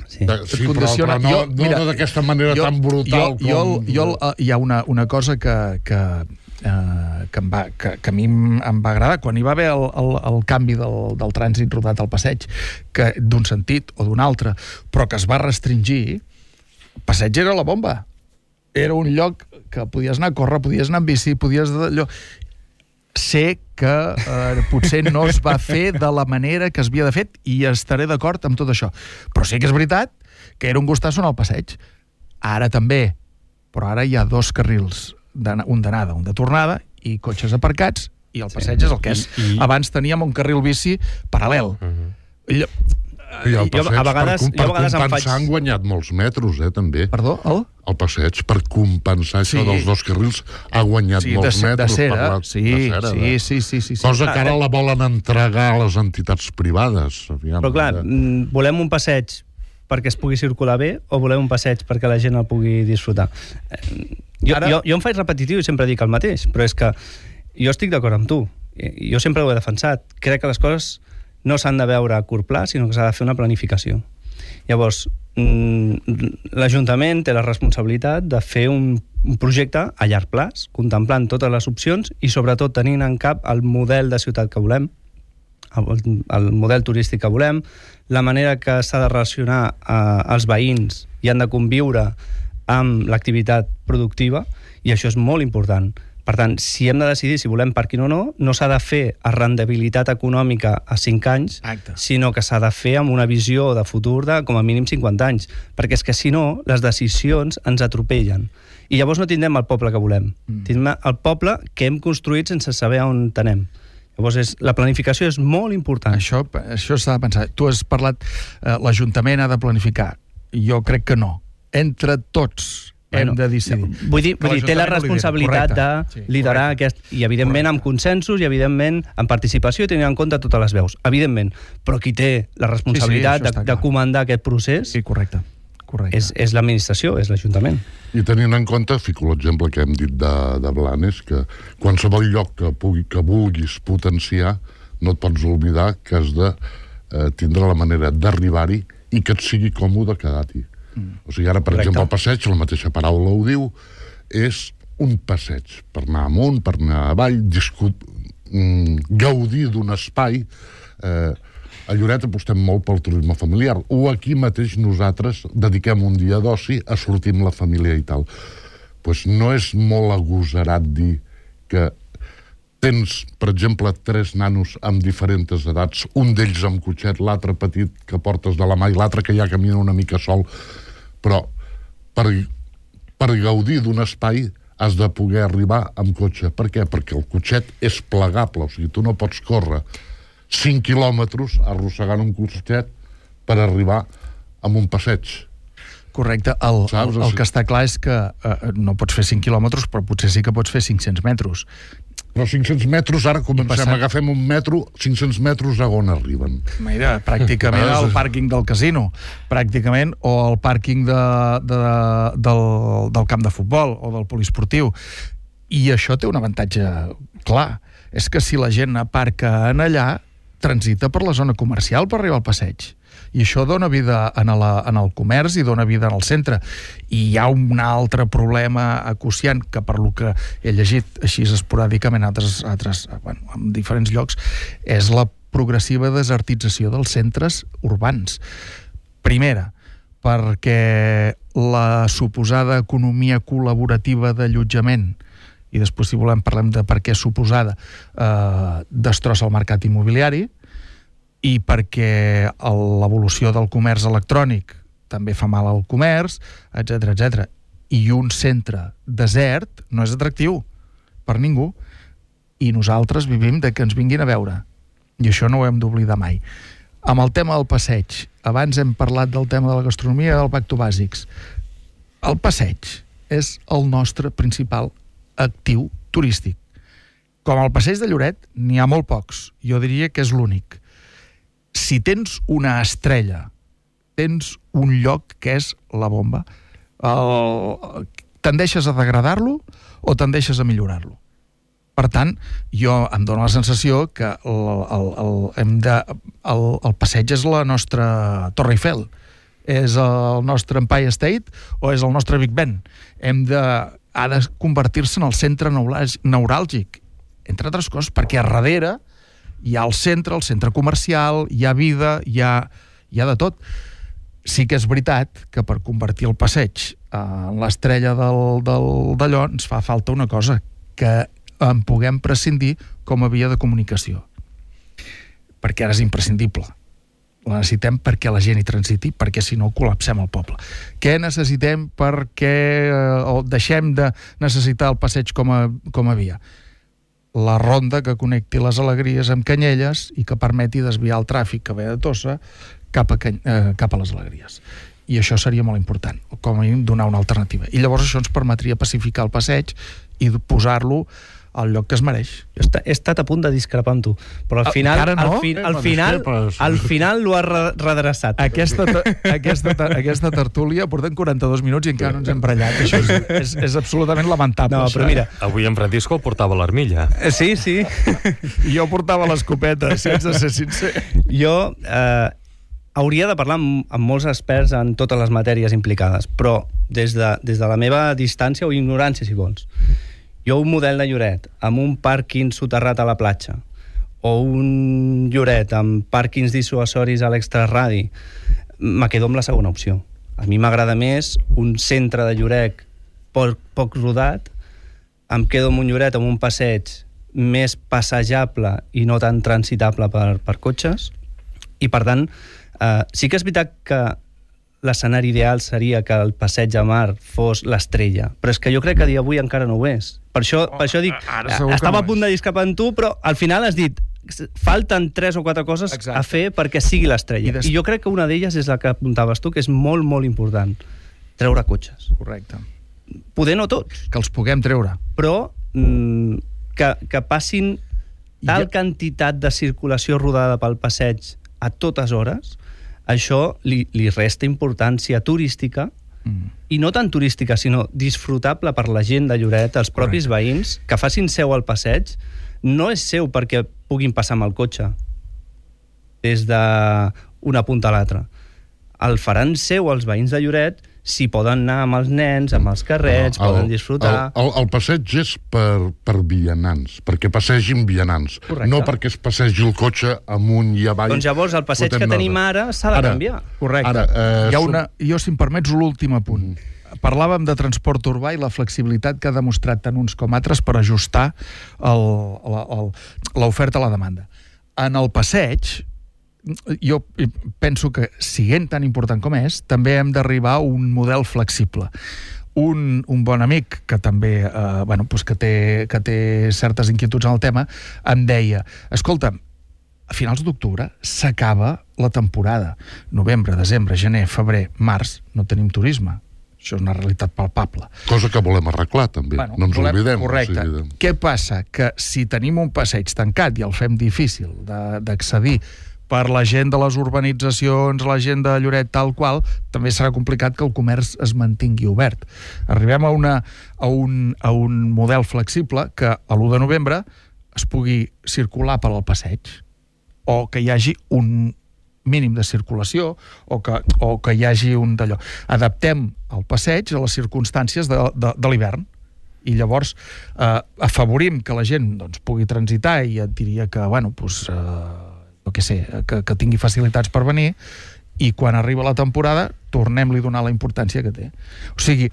Sí, sí però, però no, jo, mira, no d'aquesta manera jo, tan brutal jo, jo, com... Jo, jo, hi ha una, una cosa que, que, eh, que, em va, que, que a mi em va agradar quan hi va haver el, el, el canvi del, del trànsit rodat al passeig, que d'un sentit o d'un altre, però que es va restringir. El passeig era la bomba, era un lloc que podies anar a córrer, podies anar en bici, podies... Allò. Sé que eh, potser no es va fer de la manera que es havia de fer, i estaré d'acord amb tot això. Però sí que és veritat que era un gustasso en el passeig. Ara també, però ara hi ha dos carrils, un d'anada, un de tornada, i cotxes aparcats, i el passeig sí, és el que és. I, i... Abans teníem un carril bici paral·lel. Uh-huh. I, I el passeig, jo, a vegades, per, per jo a vegades compensar, faig... han guanyat molts metros, eh, també. Perdó, el? El passeig, per compensar sí. això dels dos carrils, ha guanyat sí, molts de, metres. De cera, per la, sí, de cera, sí, de... sí, sí, sí, sí. Cosa que ara la volen entregar a les entitats privades. Aviam, però clar, de... volem un passeig perquè es pugui circular bé, o volem un passeig perquè la gent el pugui disfrutar? Jo, ara... jo, jo em faig repetitiu i sempre dic el mateix, però és que jo estic d'acord amb tu. Jo sempre ho he defensat. Crec que les coses no s'han de veure a curt pla, sinó que s'ha de fer una planificació. Llavors, l'Ajuntament té la responsabilitat de fer un, un projecte a llarg plaç, contemplant totes les opcions i sobretot tenint en cap el model de ciutat que volem, el, el model turístic que volem, la manera que s'ha de relacionar eh, els veïns i han de conviure amb l'activitat productiva, i això és molt important. Per tant, si hem de decidir si volem pàrquing o no, no s'ha de fer a rendibilitat econòmica a cinc anys, Acte. sinó que s'ha de fer amb una visió de futur de com a mínim cinquanta anys, perquè és que si no, les decisions ens atropellen. I llavors no tindrem el poble que volem. Mm. Tindrem el poble que hem construït sense saber on tenem. Llavors, és, la planificació és molt important. Això, això s'ha de pensar. Tu has parlat, eh, l'Ajuntament ha de planificar. Jo crec que no. Entre tots hem Bueno, de decidir. Vull dir, vull dir té la l'Ajuntament ho lidera. responsabilitat Correcte. de Sí, liderar correcte. aquest... I, evidentment, amb consensos i, evidentment, amb participació i tenint en compte totes les veus. Evidentment. Però qui té la responsabilitat Sí, sí, això està de, de clar. comandar aquest procés Sí, correcte. correcte. és, és l'administració, és l'Ajuntament. I tenint en compte, fico l'exemple que hem dit de, de Blanes, que qualsevol lloc que, pugui, que vulguis potenciar, no et pots oblidar que has de eh, tindre la manera d'arribar-hi i que et sigui còmode quedar-hi. Mm. O sigui, ara, per Correcte. exemple, el passeig, la mateixa paraula ho diu, és un passeig per anar amunt, per anar avall, discut, mm, gaudir d'un espai. Eh, a Lloret apostem molt pel turisme familiar, o aquí mateix nosaltres dediquem un dia d'oci a sortir amb la família i tal. Pues no és molt agosarat dir que tens, per exemple, tres nanos amb diferents edats, un d'ells amb cotxet, l'altre petit que portes de la mà i l'altre que ja camina una mica sol, però per, per gaudir d'un espai has de poder arribar amb cotxe. Per què? Perquè el cotxet és plegable, o sigui, tu no pots córrer cinc quilòmetres arrossegant un cotxet per arribar a un passeig. Correcte. El, el, el que està clar és que eh, no pots fer cinc quilòmetres, però potser sí que pots fer cinc-cents metres. Però cinc-cents metres, ara comencem, passant... agafem un metro, cinc-cents metres a on arriben? Mira, pràcticament al pàrquing del casino, pràcticament, o al pàrquing de, de, del, del camp de futbol o del poliesportiu. I això té un avantatge clar. És que si la gent aparca en allà, transita per la zona comercial per arribar al passeig. I això dona vida en, la, en el comerç i dona vida en el centre. I hi ha un altre problema acuciant que, per lo que he llegit així esporàdicament en altres, altres, bueno, en diferents llocs, és la progressiva desertització dels centres urbans. Primera, perquè la suposada economia col·laborativa d'allotjament, i després, si volem, parlem de per què suposada, eh, destrossa el mercat immobiliari, i perquè l'evolució del comerç electrònic també fa mal al comerç, etcètera, etcètera. I un centre desert no és atractiu per ningú, i nosaltres vivim de que ens vinguin a veure. I això no ho hem d'oblidar mai. Amb el tema del passeig, abans hem parlat del tema de la gastronomia i del pacto bàsics. El passeig és el nostre principal actiu turístic. Com el passeig de Lloret, n'hi ha molt pocs. Jo diria que és l'únic. Si tens una estrella, tens un lloc que és la bomba, el... tendeixes a degradar-lo o tendeixes a millorar-lo. Per tant, jo em dono la sensació que el, el, el, hem de, el, el passeig és la nostra Torre Eiffel, és el nostre Empire State o és el nostre Big Ben. Hem de, ha de convertir-se en el centre neuràlgic, entre altres coses, perquè a darrere hi ha el centre, el centre comercial, hi ha vida, hi ha, hi ha de tot. Sí que és veritat que per convertir el passeig en l'estrella del, del, d'allò ens fa falta una cosa, que en puguem prescindir com a via de comunicació. Perquè ara és imprescindible. La necessitem perquè la gent hi transiti, perquè si no col·lapsem el poble. Què necessitem perquè eh, o deixem de necessitar el passeig com a, com a via? La ronda que connecti les Alegries amb Canyelles i que permeti desviar el tràfic que ve de Tossa cap a, eh, cap a les Alegries. I això seria molt important, com a mínim donar una alternativa. I llavors això ens permetria pacificar el passeig i posar-lo al lloc que es mereix. He estat a punt de discrepar amb tu, però al final, Encara no? al, fi, al final, al final l'ho has redreçat. Aquesta, aquesta, aquesta tertúlia portem quaranta-dos minuts i encara no ens hem barallat. Això és, és, és absolutament lamentable. No, però mira... Avui en Francisco portava l'armilla. Sí, sí. I jo portava l'escopeta, si haig de ser sincer. Jo eh, hauria de parlar amb, amb molts experts en totes les matèries implicades, però des de, des de la meva distància o ignorància, si vols, jo un model de Lloret amb un pàrquing soterrat a la platja o un Lloret amb pàrquings dissuasoris a l'extraradi, me quedo amb la segona opció. A mi m'agrada més un centre de Lloret poc, poc rodat, em quedo amb un Lloret amb un passeig més passejable i no tan transitable per, per cotxes, i per tant, eh, sí que és veritat que l'escenari ideal seria que el passeig de mar fos l'estrella, però és que jo crec que a dia d'avui encara no ho és. Per això, per això dic, estava a punt de discrepar amb tu, però al final has dit falten tres o quatre coses Exacte. A fer perquè sigui l'estrella. I, des... I jo crec que una d'elles és la que apuntaves tu, que és molt, molt important. Treure cotxes. Correcte. Poder no tots. Que els puguem treure. Però mm, que, que passin tal ja... quantitat de circulació rodada pel passeig a totes hores, això li, li resta importància turística, mm. i no tan turística, sinó disfrutable per la gent de Lloret, els propis Correcte. Veïns, que facin seu al passeig. No és seu perquè puguin passar amb el cotxe des d'una punta a l'altra. El faran seu els veïns de Lloret si poden anar amb els nens, amb els carrets, no, el, poden disfrutar... El, el, el passeig és per, per vianants, perquè passegin vianants, Correcte. No perquè es passegi el cotxe amunt i avall... Doncs llavors el passeig que tenim ara s'ha de ara, canviar. Correcte. Ara, eh, Hi ha una, jo, si em permets, l'últim apunt. Mm. Parlàvem de transport urbà i la flexibilitat que ha demostrat tant uns com altres per ajustar l'oferta a la demanda. En el passeig, jo penso que, siguent tan important com és, també hem d'arribar a un model flexible. Un, un bon amic, que també eh, bueno, pues que, té, que té certes inquietuds en el tema, em deia, escolta, a finals d'octubre s'acaba la temporada. Novembre, desembre, gener, febrer, març, no tenim turisme. Això és una realitat palpable. Cosa que volem arreglar, també. Bueno, no ens volem, oblidem. Correcte. O sigui, què passa? Que si tenim un passeig tancat i el fem difícil d'accedir per la gent de les urbanitzacions, la gent de Lloret tal qual, també serà complicat que el comerç es mantingui obert. Arribem a, una, a, un, a un model flexible que a l'u de novembre es pugui circular per al passeig, o que hi hagi un mínim de circulació, o que, o que hi hagi un d'allò. Adaptem el passeig a les circumstàncies de, de, de l'hivern, i llavors eh, afavorim que la gent doncs, pugui transitar, i et diria que, bueno, doncs, eh, no què sé, que, que tingui facilitats per venir, i quan arriba la temporada tornem-li a donar la importància que té. O sigui,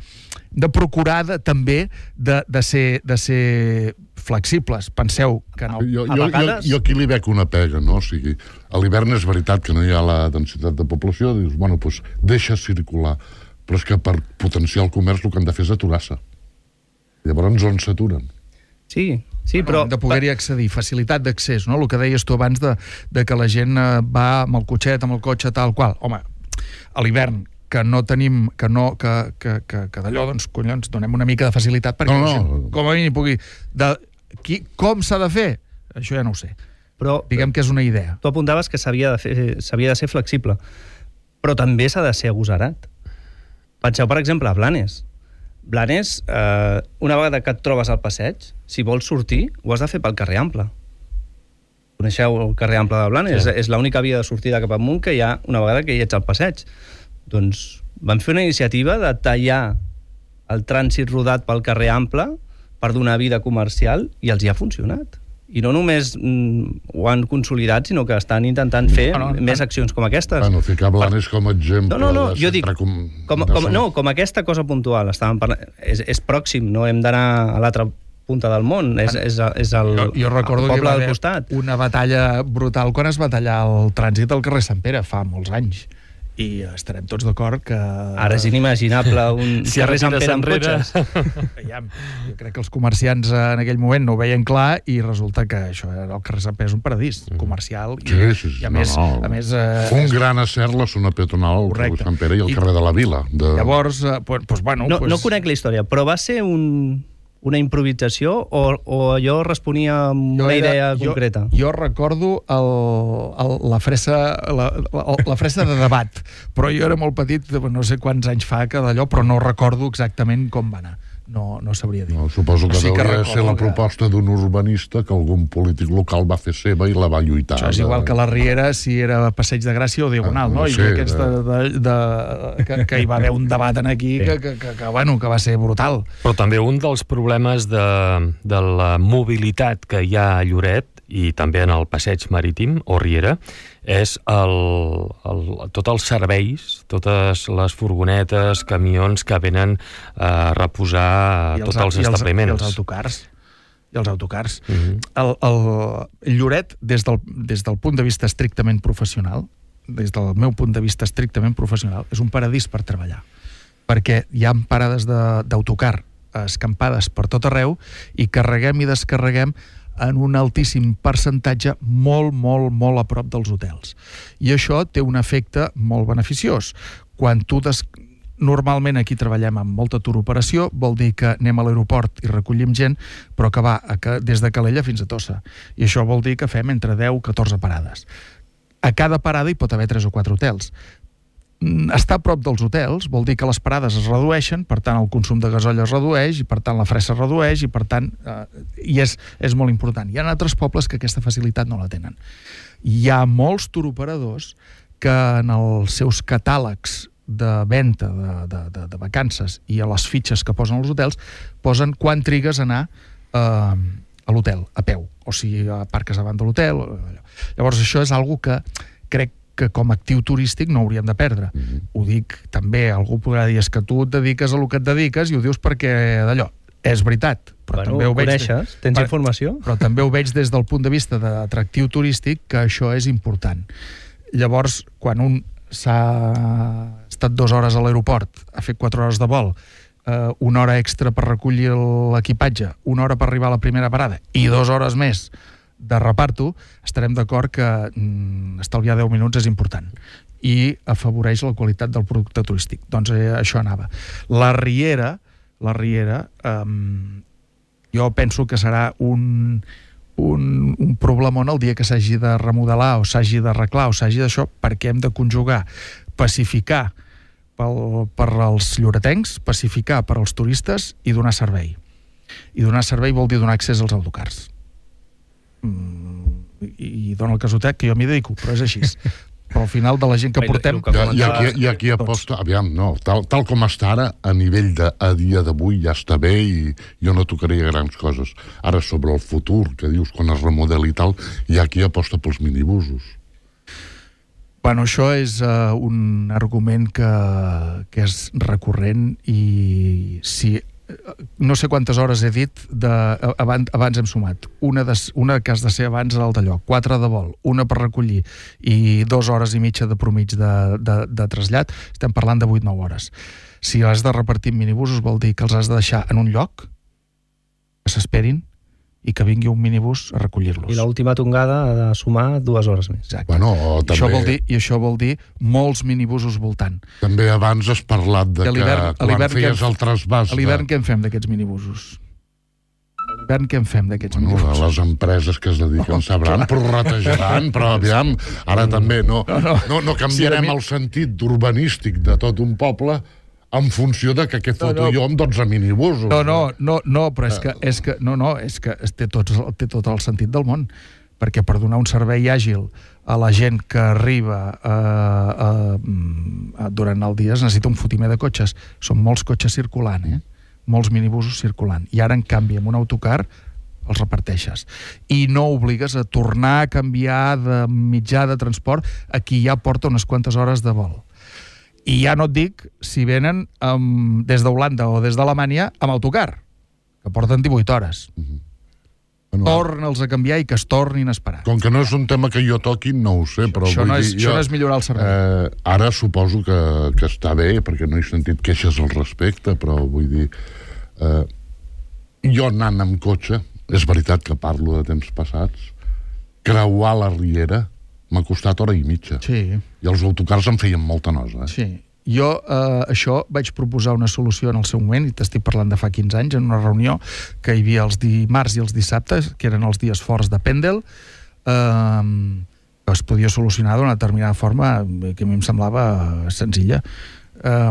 de procurar de, també de, de, ser, de ser flexibles. Penseu que no, jo, a jo, vegades... Jo, jo aquí li veig una pega, no? O sigui, a l'hivern és veritat que no hi ha la densitat de població, dius, bueno, doncs deixa circular. Però és que per potenciar el comerç el que han de fer és aturar-se. Llavors on s'aturen? Sí, sí, però... De poder-hi accedir, facilitat d'accés, no? El que deies tu abans de, de que la gent va amb el cotxet, amb el cotxe tal qual. Home, a l'hivern, que no tenim, que no, que, que, que, que d'allò, doncs, collons, donem una mica de facilitat perquè no, no. Gent, com a mínim pugui... De, qui, com s'ha de fer? Això ja no ho sé. Però diguem que és una idea. Tu apuntaves que s'havia de, fer, s'havia de ser flexible, però també s'ha de ser agosarat. Penseu, per exemple, a Blanes. Blanes, eh, una vegada que et trobes al passeig, si vols sortir, ho has de fer pel carrer Ample. Coneixeu el carrer Ample de Blanes? Sí. És, és l'única via de sortida cap amunt que hi ha una vegada que hi ets al passeig. Doncs van fer una iniciativa de tallar el trànsit rodat pel carrer Ample per donar vida comercial, i els hi ha funcionat. I no només mm, ho han consolidat, sinó que estan intentant fer no, no, més accions com aquestes. Bueno, ficar Blanes com a exemple... No, no, no, jo dic, com, com, com, no, com aquesta cosa puntual. Estàvem parlant, és, és pròxim, no hem d'anar a l'altra punta del món, és, és, és el, jo, jo recordo el poble que del costat. Una batalla brutal quan es va tallar el trànsit al carrer Sant Pere fa molts anys. I estarem tots d'acord que... Ara és inimaginable un si carrer Sant Pere amb cotxes. Veiem, jo crec que els comerciants en aquell moment no ho veien clar, i resulta que això era el carrer Sant Pere és un paradís comercial. Sí, i, sí, sí. I a més... No, no. A més eh, un gran acert la zona peatonal al carrer Sant Pere i el carrer de la Vila. De... Llavors, eh, pues, pues, bueno... No, pues... no conec la història, però va ser un... una improvisació o, o allò responia amb una era, idea jo, concreta? Jo recordo el, el, la, fressa, la, la, la fressa de debat, però jo era molt petit, no sé quants anys fa que d'allò, però no recordo exactament com va anar. No, no sabria dir. No, suposo que o sigui deuria que ser la proposta d'un urbanista que algun polític local va fer seva i la va lluitar. Això és igual que la Riera, si era Passeig de Gràcia o Diagonal, ah, no? no? I sé, aquests de, de, de, que, que hi va haver un debat en aquí que, que, que, que, bueno, que va ser brutal. Però també un dels problemes de, de la mobilitat que hi ha a Lloret, i també en el passeig marítim o Riera, és el, el, tots els serveis, totes les furgonetes, camions que venen a reposar a tots els establiments. I els autocars. I els autocars. Uh-huh. el, el Lloret, des del, des del punt de vista estrictament professional, des del meu punt de vista estrictament professional, és un paradís per treballar. Perquè hi ha parades d'autocar escampades per tot arreu i carreguem i descarreguem en un altíssim percentatge molt, molt, molt a prop dels hotels. I això té un efecte molt beneficiós. Quan tu des... Normalment aquí treballem amb molta turoperació, vol dir que anem a l'aeroport i recollim gent, però que va a, des de Calella fins a Tossa. I això vol dir que fem entre deu i catorze parades. A cada parada hi pot haver tres o quatre hotels. Estar a prop dels hotels vol dir que les parades es redueixen, per tant el consum de gasoil es redueix, i per tant la fressa es redueix, i per tant eh, i és, és molt important. Hi ha altres pobles que aquesta facilitat no la tenen. Hi ha molts turoperadors que en els seus catàlegs de venda de, de, de, de vacances i a les fitxes que posen als hotels posen quan trigues a anar eh, a l'hotel, a peu, o sigui, aparques davant de l'hotel. Llavors això és algo que crec que com a actiu turístic no hauríem de perdre. Mm-hmm. Ho dic també, algú podrà dir, és que tu et dediques a lo que et dediques i ho dius perquè d'allò. És veritat, però bueno, també ho veig... Coneixes? Tens per, informació? Però també ho veig des del punt de vista d'atractiu turístic, que això és important. Llavors, quan un s'ha estat dues hores a l'aeroport, ha fet quatre hores de vol, eh, una hora extra per recollir l'equipatge, una hora per arribar a la primera parada i dues hores més de reparto, estarem d'acord que mm, estalviar deu minuts és important i afavoreix la qualitat del producte turístic. Doncs eh, això anava. La Riera, la Riera, eh, jo penso que serà un... Un, un problemon el dia que s'hagi de remodelar o s'hagi d'arreglar o s'hagi d'això, perquè hem de conjugar pacificar pel, per als lloretencs, pacificar per als turistes i donar servei. I donar servei vol dir donar accés als autocars. Mm, i, i dona el casotec que jo m'hi dedico, però és així. Però al final de la gent que portem... I, i, aquí, i aquí aposta, aviam, no, tal, tal com està ara, a nivell de a dia d'avui ja està bé i jo no tocaria grans coses. Ara, sobre el futur, que dius, quan es remodeli i tal, hi ha qui aposta pels minibusos. Bueno, això és uh, un argument que, que és recurrent i si... No sé quantes hores he dit, de, abans, abans hem sumat. Una, de, una que has de ser abans al d'allò, quatre de vol, una per recollir i dues hores i mitja de promig de, de, de trasllat, estem parlant de vuit a nou hores. Si has de repartir minibusos vol dir que els has de deixar en un lloc, que s'esperin, i que vingui un minibús a recollir-los. I l'última tongada ha de sumar dues hores més. Exacte. Bueno, també... això vol dir, I això vol dir molts minibusos voltant. També abans has parlat de que quan feies el trasbàs... A l'hivern què en fem d'aquests minibusos? A l'hivern què en fem d'aquests bueno, minibusos? Les empreses que es dediquen oh, sabran, prorratejaran, però aviam, ara també no, no, no. no, no canviarem sí, mi... el sentit urbanístic de tot un poble en funció de que què foto no, no. jo amb dotze minibusos. No, no, no, no però és que, és que, no, no, és que té, tot, té tot el sentit del món, perquè per donar un servei àgil a la gent que arriba a, a, a, durant el dia es necessita un fotimer de cotxes. Són molts cotxes circulant, eh? Molts minibusos circulant. I ara, en canvi, amb un autocar els reparteixes. I no obligues a tornar a canviar de mitjà de transport a qui ja porta unes quantes hores de vol. I ja no et dic si venen um, des d'Holanda o des d'Alemanya amb autocar, que porten divuit hores. Mm-hmm. Bueno, torna'ls a canviar i que es tornin a esperar. Com que no és un tema que jo toqui, no ho sé, però això, vull no és, dir... Això jo, no és millorar el servei. Eh, ara suposo que, que està bé, perquè no he sentit queixes al respecte, però vull dir... Eh, jo anant amb cotxe, és veritat que parlo de temps passats, creuar la Riera m'ha costat hora i mitja. Sí. I els autocars em feien molta nosa. Eh? Sí. Jo, eh, això, vaig proposar una solució en el seu moment, i t'estic parlant de fa quinze anys, en una reunió que hi havia els dimarts i els dissabtes, que eren els dies forts de Pendel, eh, que es podia solucionar d'una determinada forma que a mi em semblava senzilla. Eh,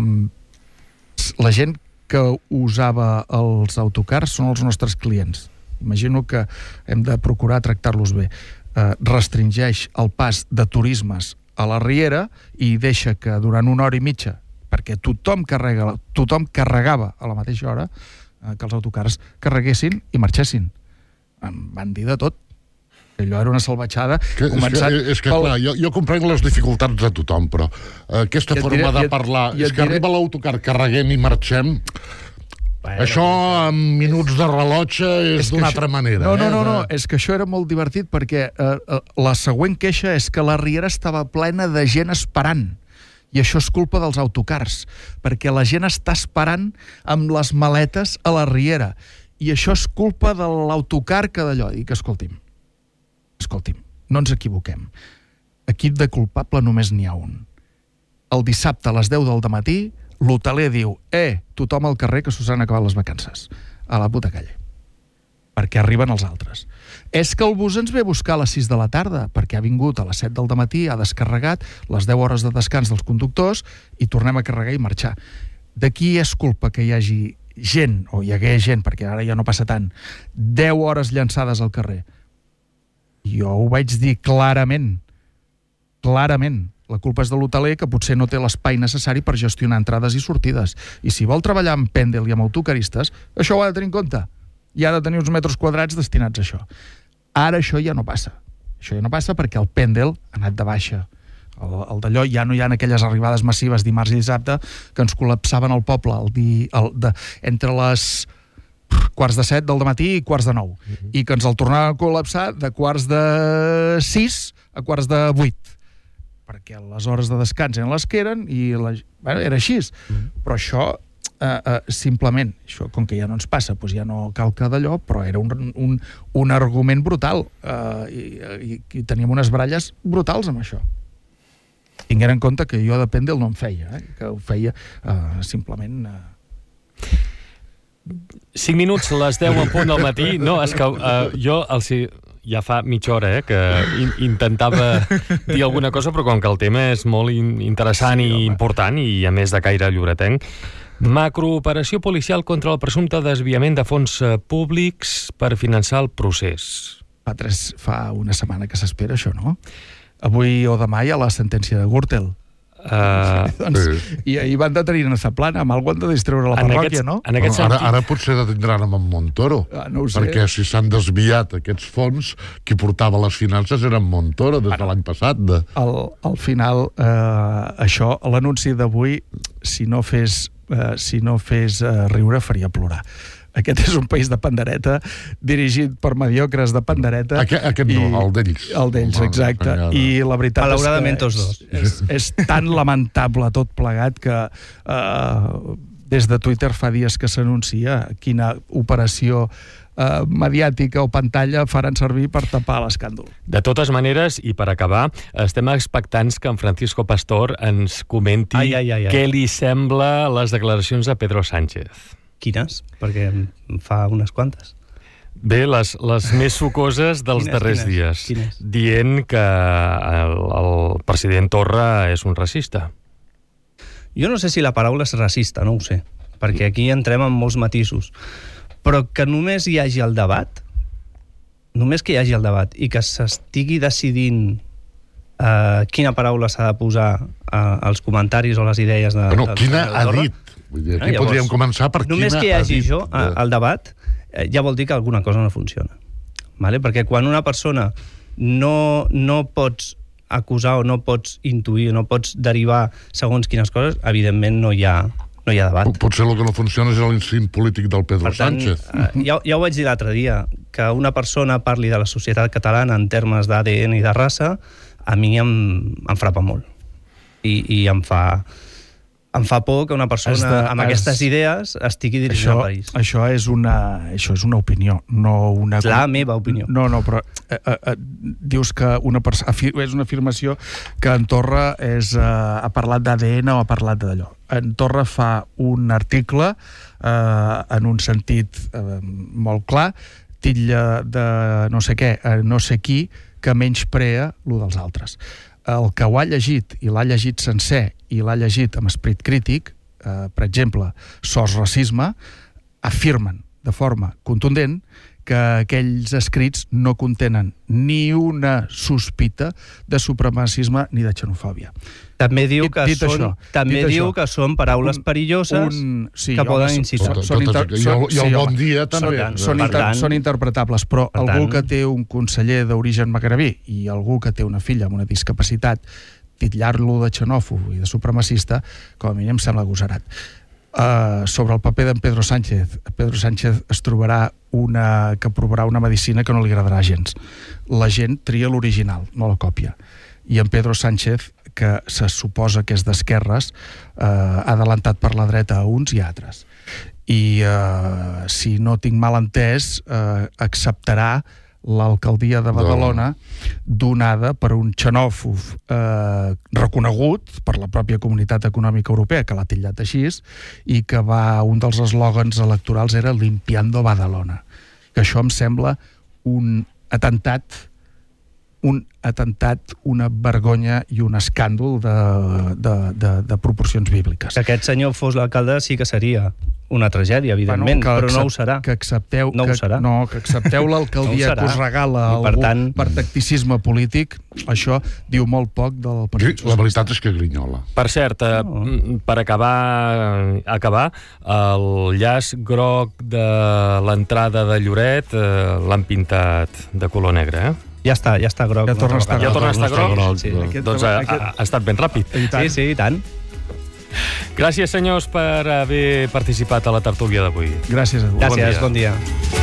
la gent que usava els autocars són els nostres clients. Imagino que hem de procurar tractar-los bé. Eh, restringeix el pas de turismes a la Riera i deixa que durant una hora i mitja, perquè tothom, carrega, tothom carregava a la mateixa hora, eh, que els autocars carreguessin i marxessin. Em van dir de tot. que allò era una salvatjada. Que, començant és que, és que pel... clar, jo, jo comprenc les dificultats de tothom, però uh, aquesta forma diré, de parlar... I, i és que diré... arriba l'autocar, carreguem i marxem... Bueno, això en minuts de rellotge és, és d'una altra manera. No, no, no, eh? no, és que això era molt divertit perquè eh, la següent queixa és que la Riera estava plena de gent esperant. I això és culpa dels autocars, perquè la gent està esperant amb les maletes a la Riera. I això és culpa de l'autocar que d'allò. Dic, escolti'm, escolti'm, no ens equivoquem. Equip de culpable només n'hi ha un. El dissabte a les deu del dematí l'hoteler diu, eh, tothom al carrer que s'us han acabat les vacances. A la puta calle. Perquè arriben els altres. És que el bus ens ve a buscar a les sis de la tarda, perquè ha vingut a les set del dematí, ha descarregat les deu hores de descans dels conductors i tornem a carregar i marxar. De qui és culpa que hi hagi gent, o hi hagué gent, perquè ara ja no passa tant, deu hores llançades al carrer? Jo ho vaig dir clarament. Clarament. La culpa és de l'hoteler, que potser no té l'espai necessari per gestionar entrades i sortides. I si vol treballar amb Pendel i amb autocaristes, això ho ha de tenir en compte. I ha de tenir uns metres quadrats destinats a això. Ara això ja no passa. Això ja no passa perquè el Pendel ha anat de baixa. El, el d'allò ja no hi ha aquelles arribades massives dimarts i dissabte que ens col·lapsaven el poble el di, el, de, entre les quarts de set del dematí i quarts de nou. Uh-huh. I que ens el tornaven a col·lapsar de quarts de sis a quarts de vuit. Perquè les hores de descans eren les que eren i la, bueno, era així. Mm. Però això, eh, eh, simplement, això, com que ja no ens passa, doncs ja no cal que d'allò, però era un, un, un argument brutal. Eh, i, i, I teníem unes baralles brutals amb això. Tinguent en compte que jo de Pendel no em feia, eh, que ho feia eh, simplement... Eh... cinc minuts, les deu en punt del matí. No, és que uh, jo els... ja fa mitja hora eh, que in intentava dir alguna cosa, però com que el tema és molt in interessant sí, i home. important i a més de caire lloretenc. Macrooperació policial contra el presumpte desviament de fons públics per finançar el procés. Fa, tres, fa una setmana que s'espera això, no? Avui o demà hi ha la sentència de Gürtel. Uh, doncs, sí. I ahir van detenir a Zaplana, amb algú han de distreure la parròquia, no? En aquest bueno, sentit... ara, ara potser detindran amb en Montoro, ah, no ho sé. Perquè si s'han desviat aquests fons, qui portava les finances era en Montoro des de l'any passat. De... Al, al final, eh, això, l'anunci d'avui, si no fes, eh, si no fes eh, riure, faria plorar. Aquest és un país de pandereta, dirigit per mediocres de pandereta. Aquest, aquest i, no, el d'ells. El d'ells, exacte. I la veritat malauradament és que tots dos. És, és, és tan lamentable tot plegat que eh, des de Twitter fa dies que s'anuncia quina operació eh, mediàtica o pantalla faran servir per tapar l'escàndol. De totes maneres, i per acabar, estem expectants que en Francisco Pastor ens comenti ai, ai, ai, ai. què li sembla les declaracions de Pedro Sánchez. Quines? Perquè en fa unes quantes. Bé, les, les més sucoses dels quines, darrers quines, dies, quines? Dient que el, el president Torra és un racista. Jo no sé si la paraula és racista, no ho sé, perquè aquí entrem en molts matisos. Però que només hi hagi el debat, només que hi hagi el debat i que s'estigui decidint eh, quina paraula s'ha de posar eh, als comentaris o les idees de... Bueno, quina ha dit? Vull dir, aquí ah, llavors, podríem començar per quina... Només que hi hagi això, de... al debat, eh, ja vol dir que alguna cosa no funciona. Vale? Perquè quan una persona no, no pots acusar o no pots intuir, no pots derivar segons quines coses, evidentment no hi ha, no hi ha debat. Potser el que no funciona és l'instint polític del Pedro per tant, Sánchez. Eh, ja, ja ho vaig dir l'altre dia, que una persona parli de la societat catalana en termes d'A D N i de raça, a mi em, em frapa molt. I, i em fa... Em fa por que una persona de, amb es, aquestes idees estigui dirigint això, el país. Això és una, això és una opinió, no una... És la meva opinió. No, no, però eh, eh, dius que una persona... És una afirmació que en Torra és, eh, ha parlat d'A D N o ha parlat d'allò. En Torra fa un article eh, en un sentit eh, molt clar, titlla de no sé què, eh, no sé qui, que menysprea lo dels altres. El que ho ha llegit i l'ha llegit sencer i l'ha llegit amb esperit crític, eh, per exemple, Sos Racisme, afirmen de forma contundent que aquells escrits no contenen ni una sospita de supremacisme ni de xenofòbia. També diu Dit- que, dit són, això, també dit diu això, que són paraules un- perilloses un- sí, que home, poden són- incitar. Totes, són inter- totes, i el, i el sí, bon home, dia també. Són, són, Per inter, tant- són interpretables, però per algú tant- que té un conseller d'origen magrebí i algú que té una filla amb una discapacitat, titllar-lo de xenòfob i de supremacista, com a mínim em sembla agosarat. Uh, sobre el paper d'en Pedro Sánchez, Pedro Sánchez es trobarà una, que provarà una medicina que no li agradarà gens. La gent tria l'original, no la còpia. I en Pedro Sánchez, que se suposa que és d'esquerres, eh, ha adelantat per la dreta a uns i a altres. I, eh, si no tinc mal entès, eh, acceptarà l'alcaldia de Badalona donada per un xenòfob eh, reconegut per la pròpia Comunitat Econòmica Europea, que l'ha titllat així, i que va, un dels eslògans electorals era Limpiando Badalona. Que això em sembla un atemptat un atemptat, una vergonya i un escàndol de, de, de, de proporcions bíbliques. Si aquest senyor fos l'alcalde sí que seria una tragèdia, evidentment, Bueno, que però no accep- ho serà. Que accepteu, No ho que, serà. No, que accepteu l'alcaldia No ho serà. que us regala I per algú tant- per tacticisme polític, això diu molt poc del Partit La veritat és que grinyola. Per cert, eh, No. per acabar, acabar, el llaç groc de l'entrada de Lloret eh, l'han pintat de color negre, eh? Ja està, ja està groc. Ja torna a estar Ja torna a estar groc? Sí. Aquest... Doncs ha, ha, ha estat ben ràpid. Sí, sí, i tant. Gràcies, senyors, per haver participat a la tertúlia d'avui. Gràcies a tu. Gràcies, dia. bon dia.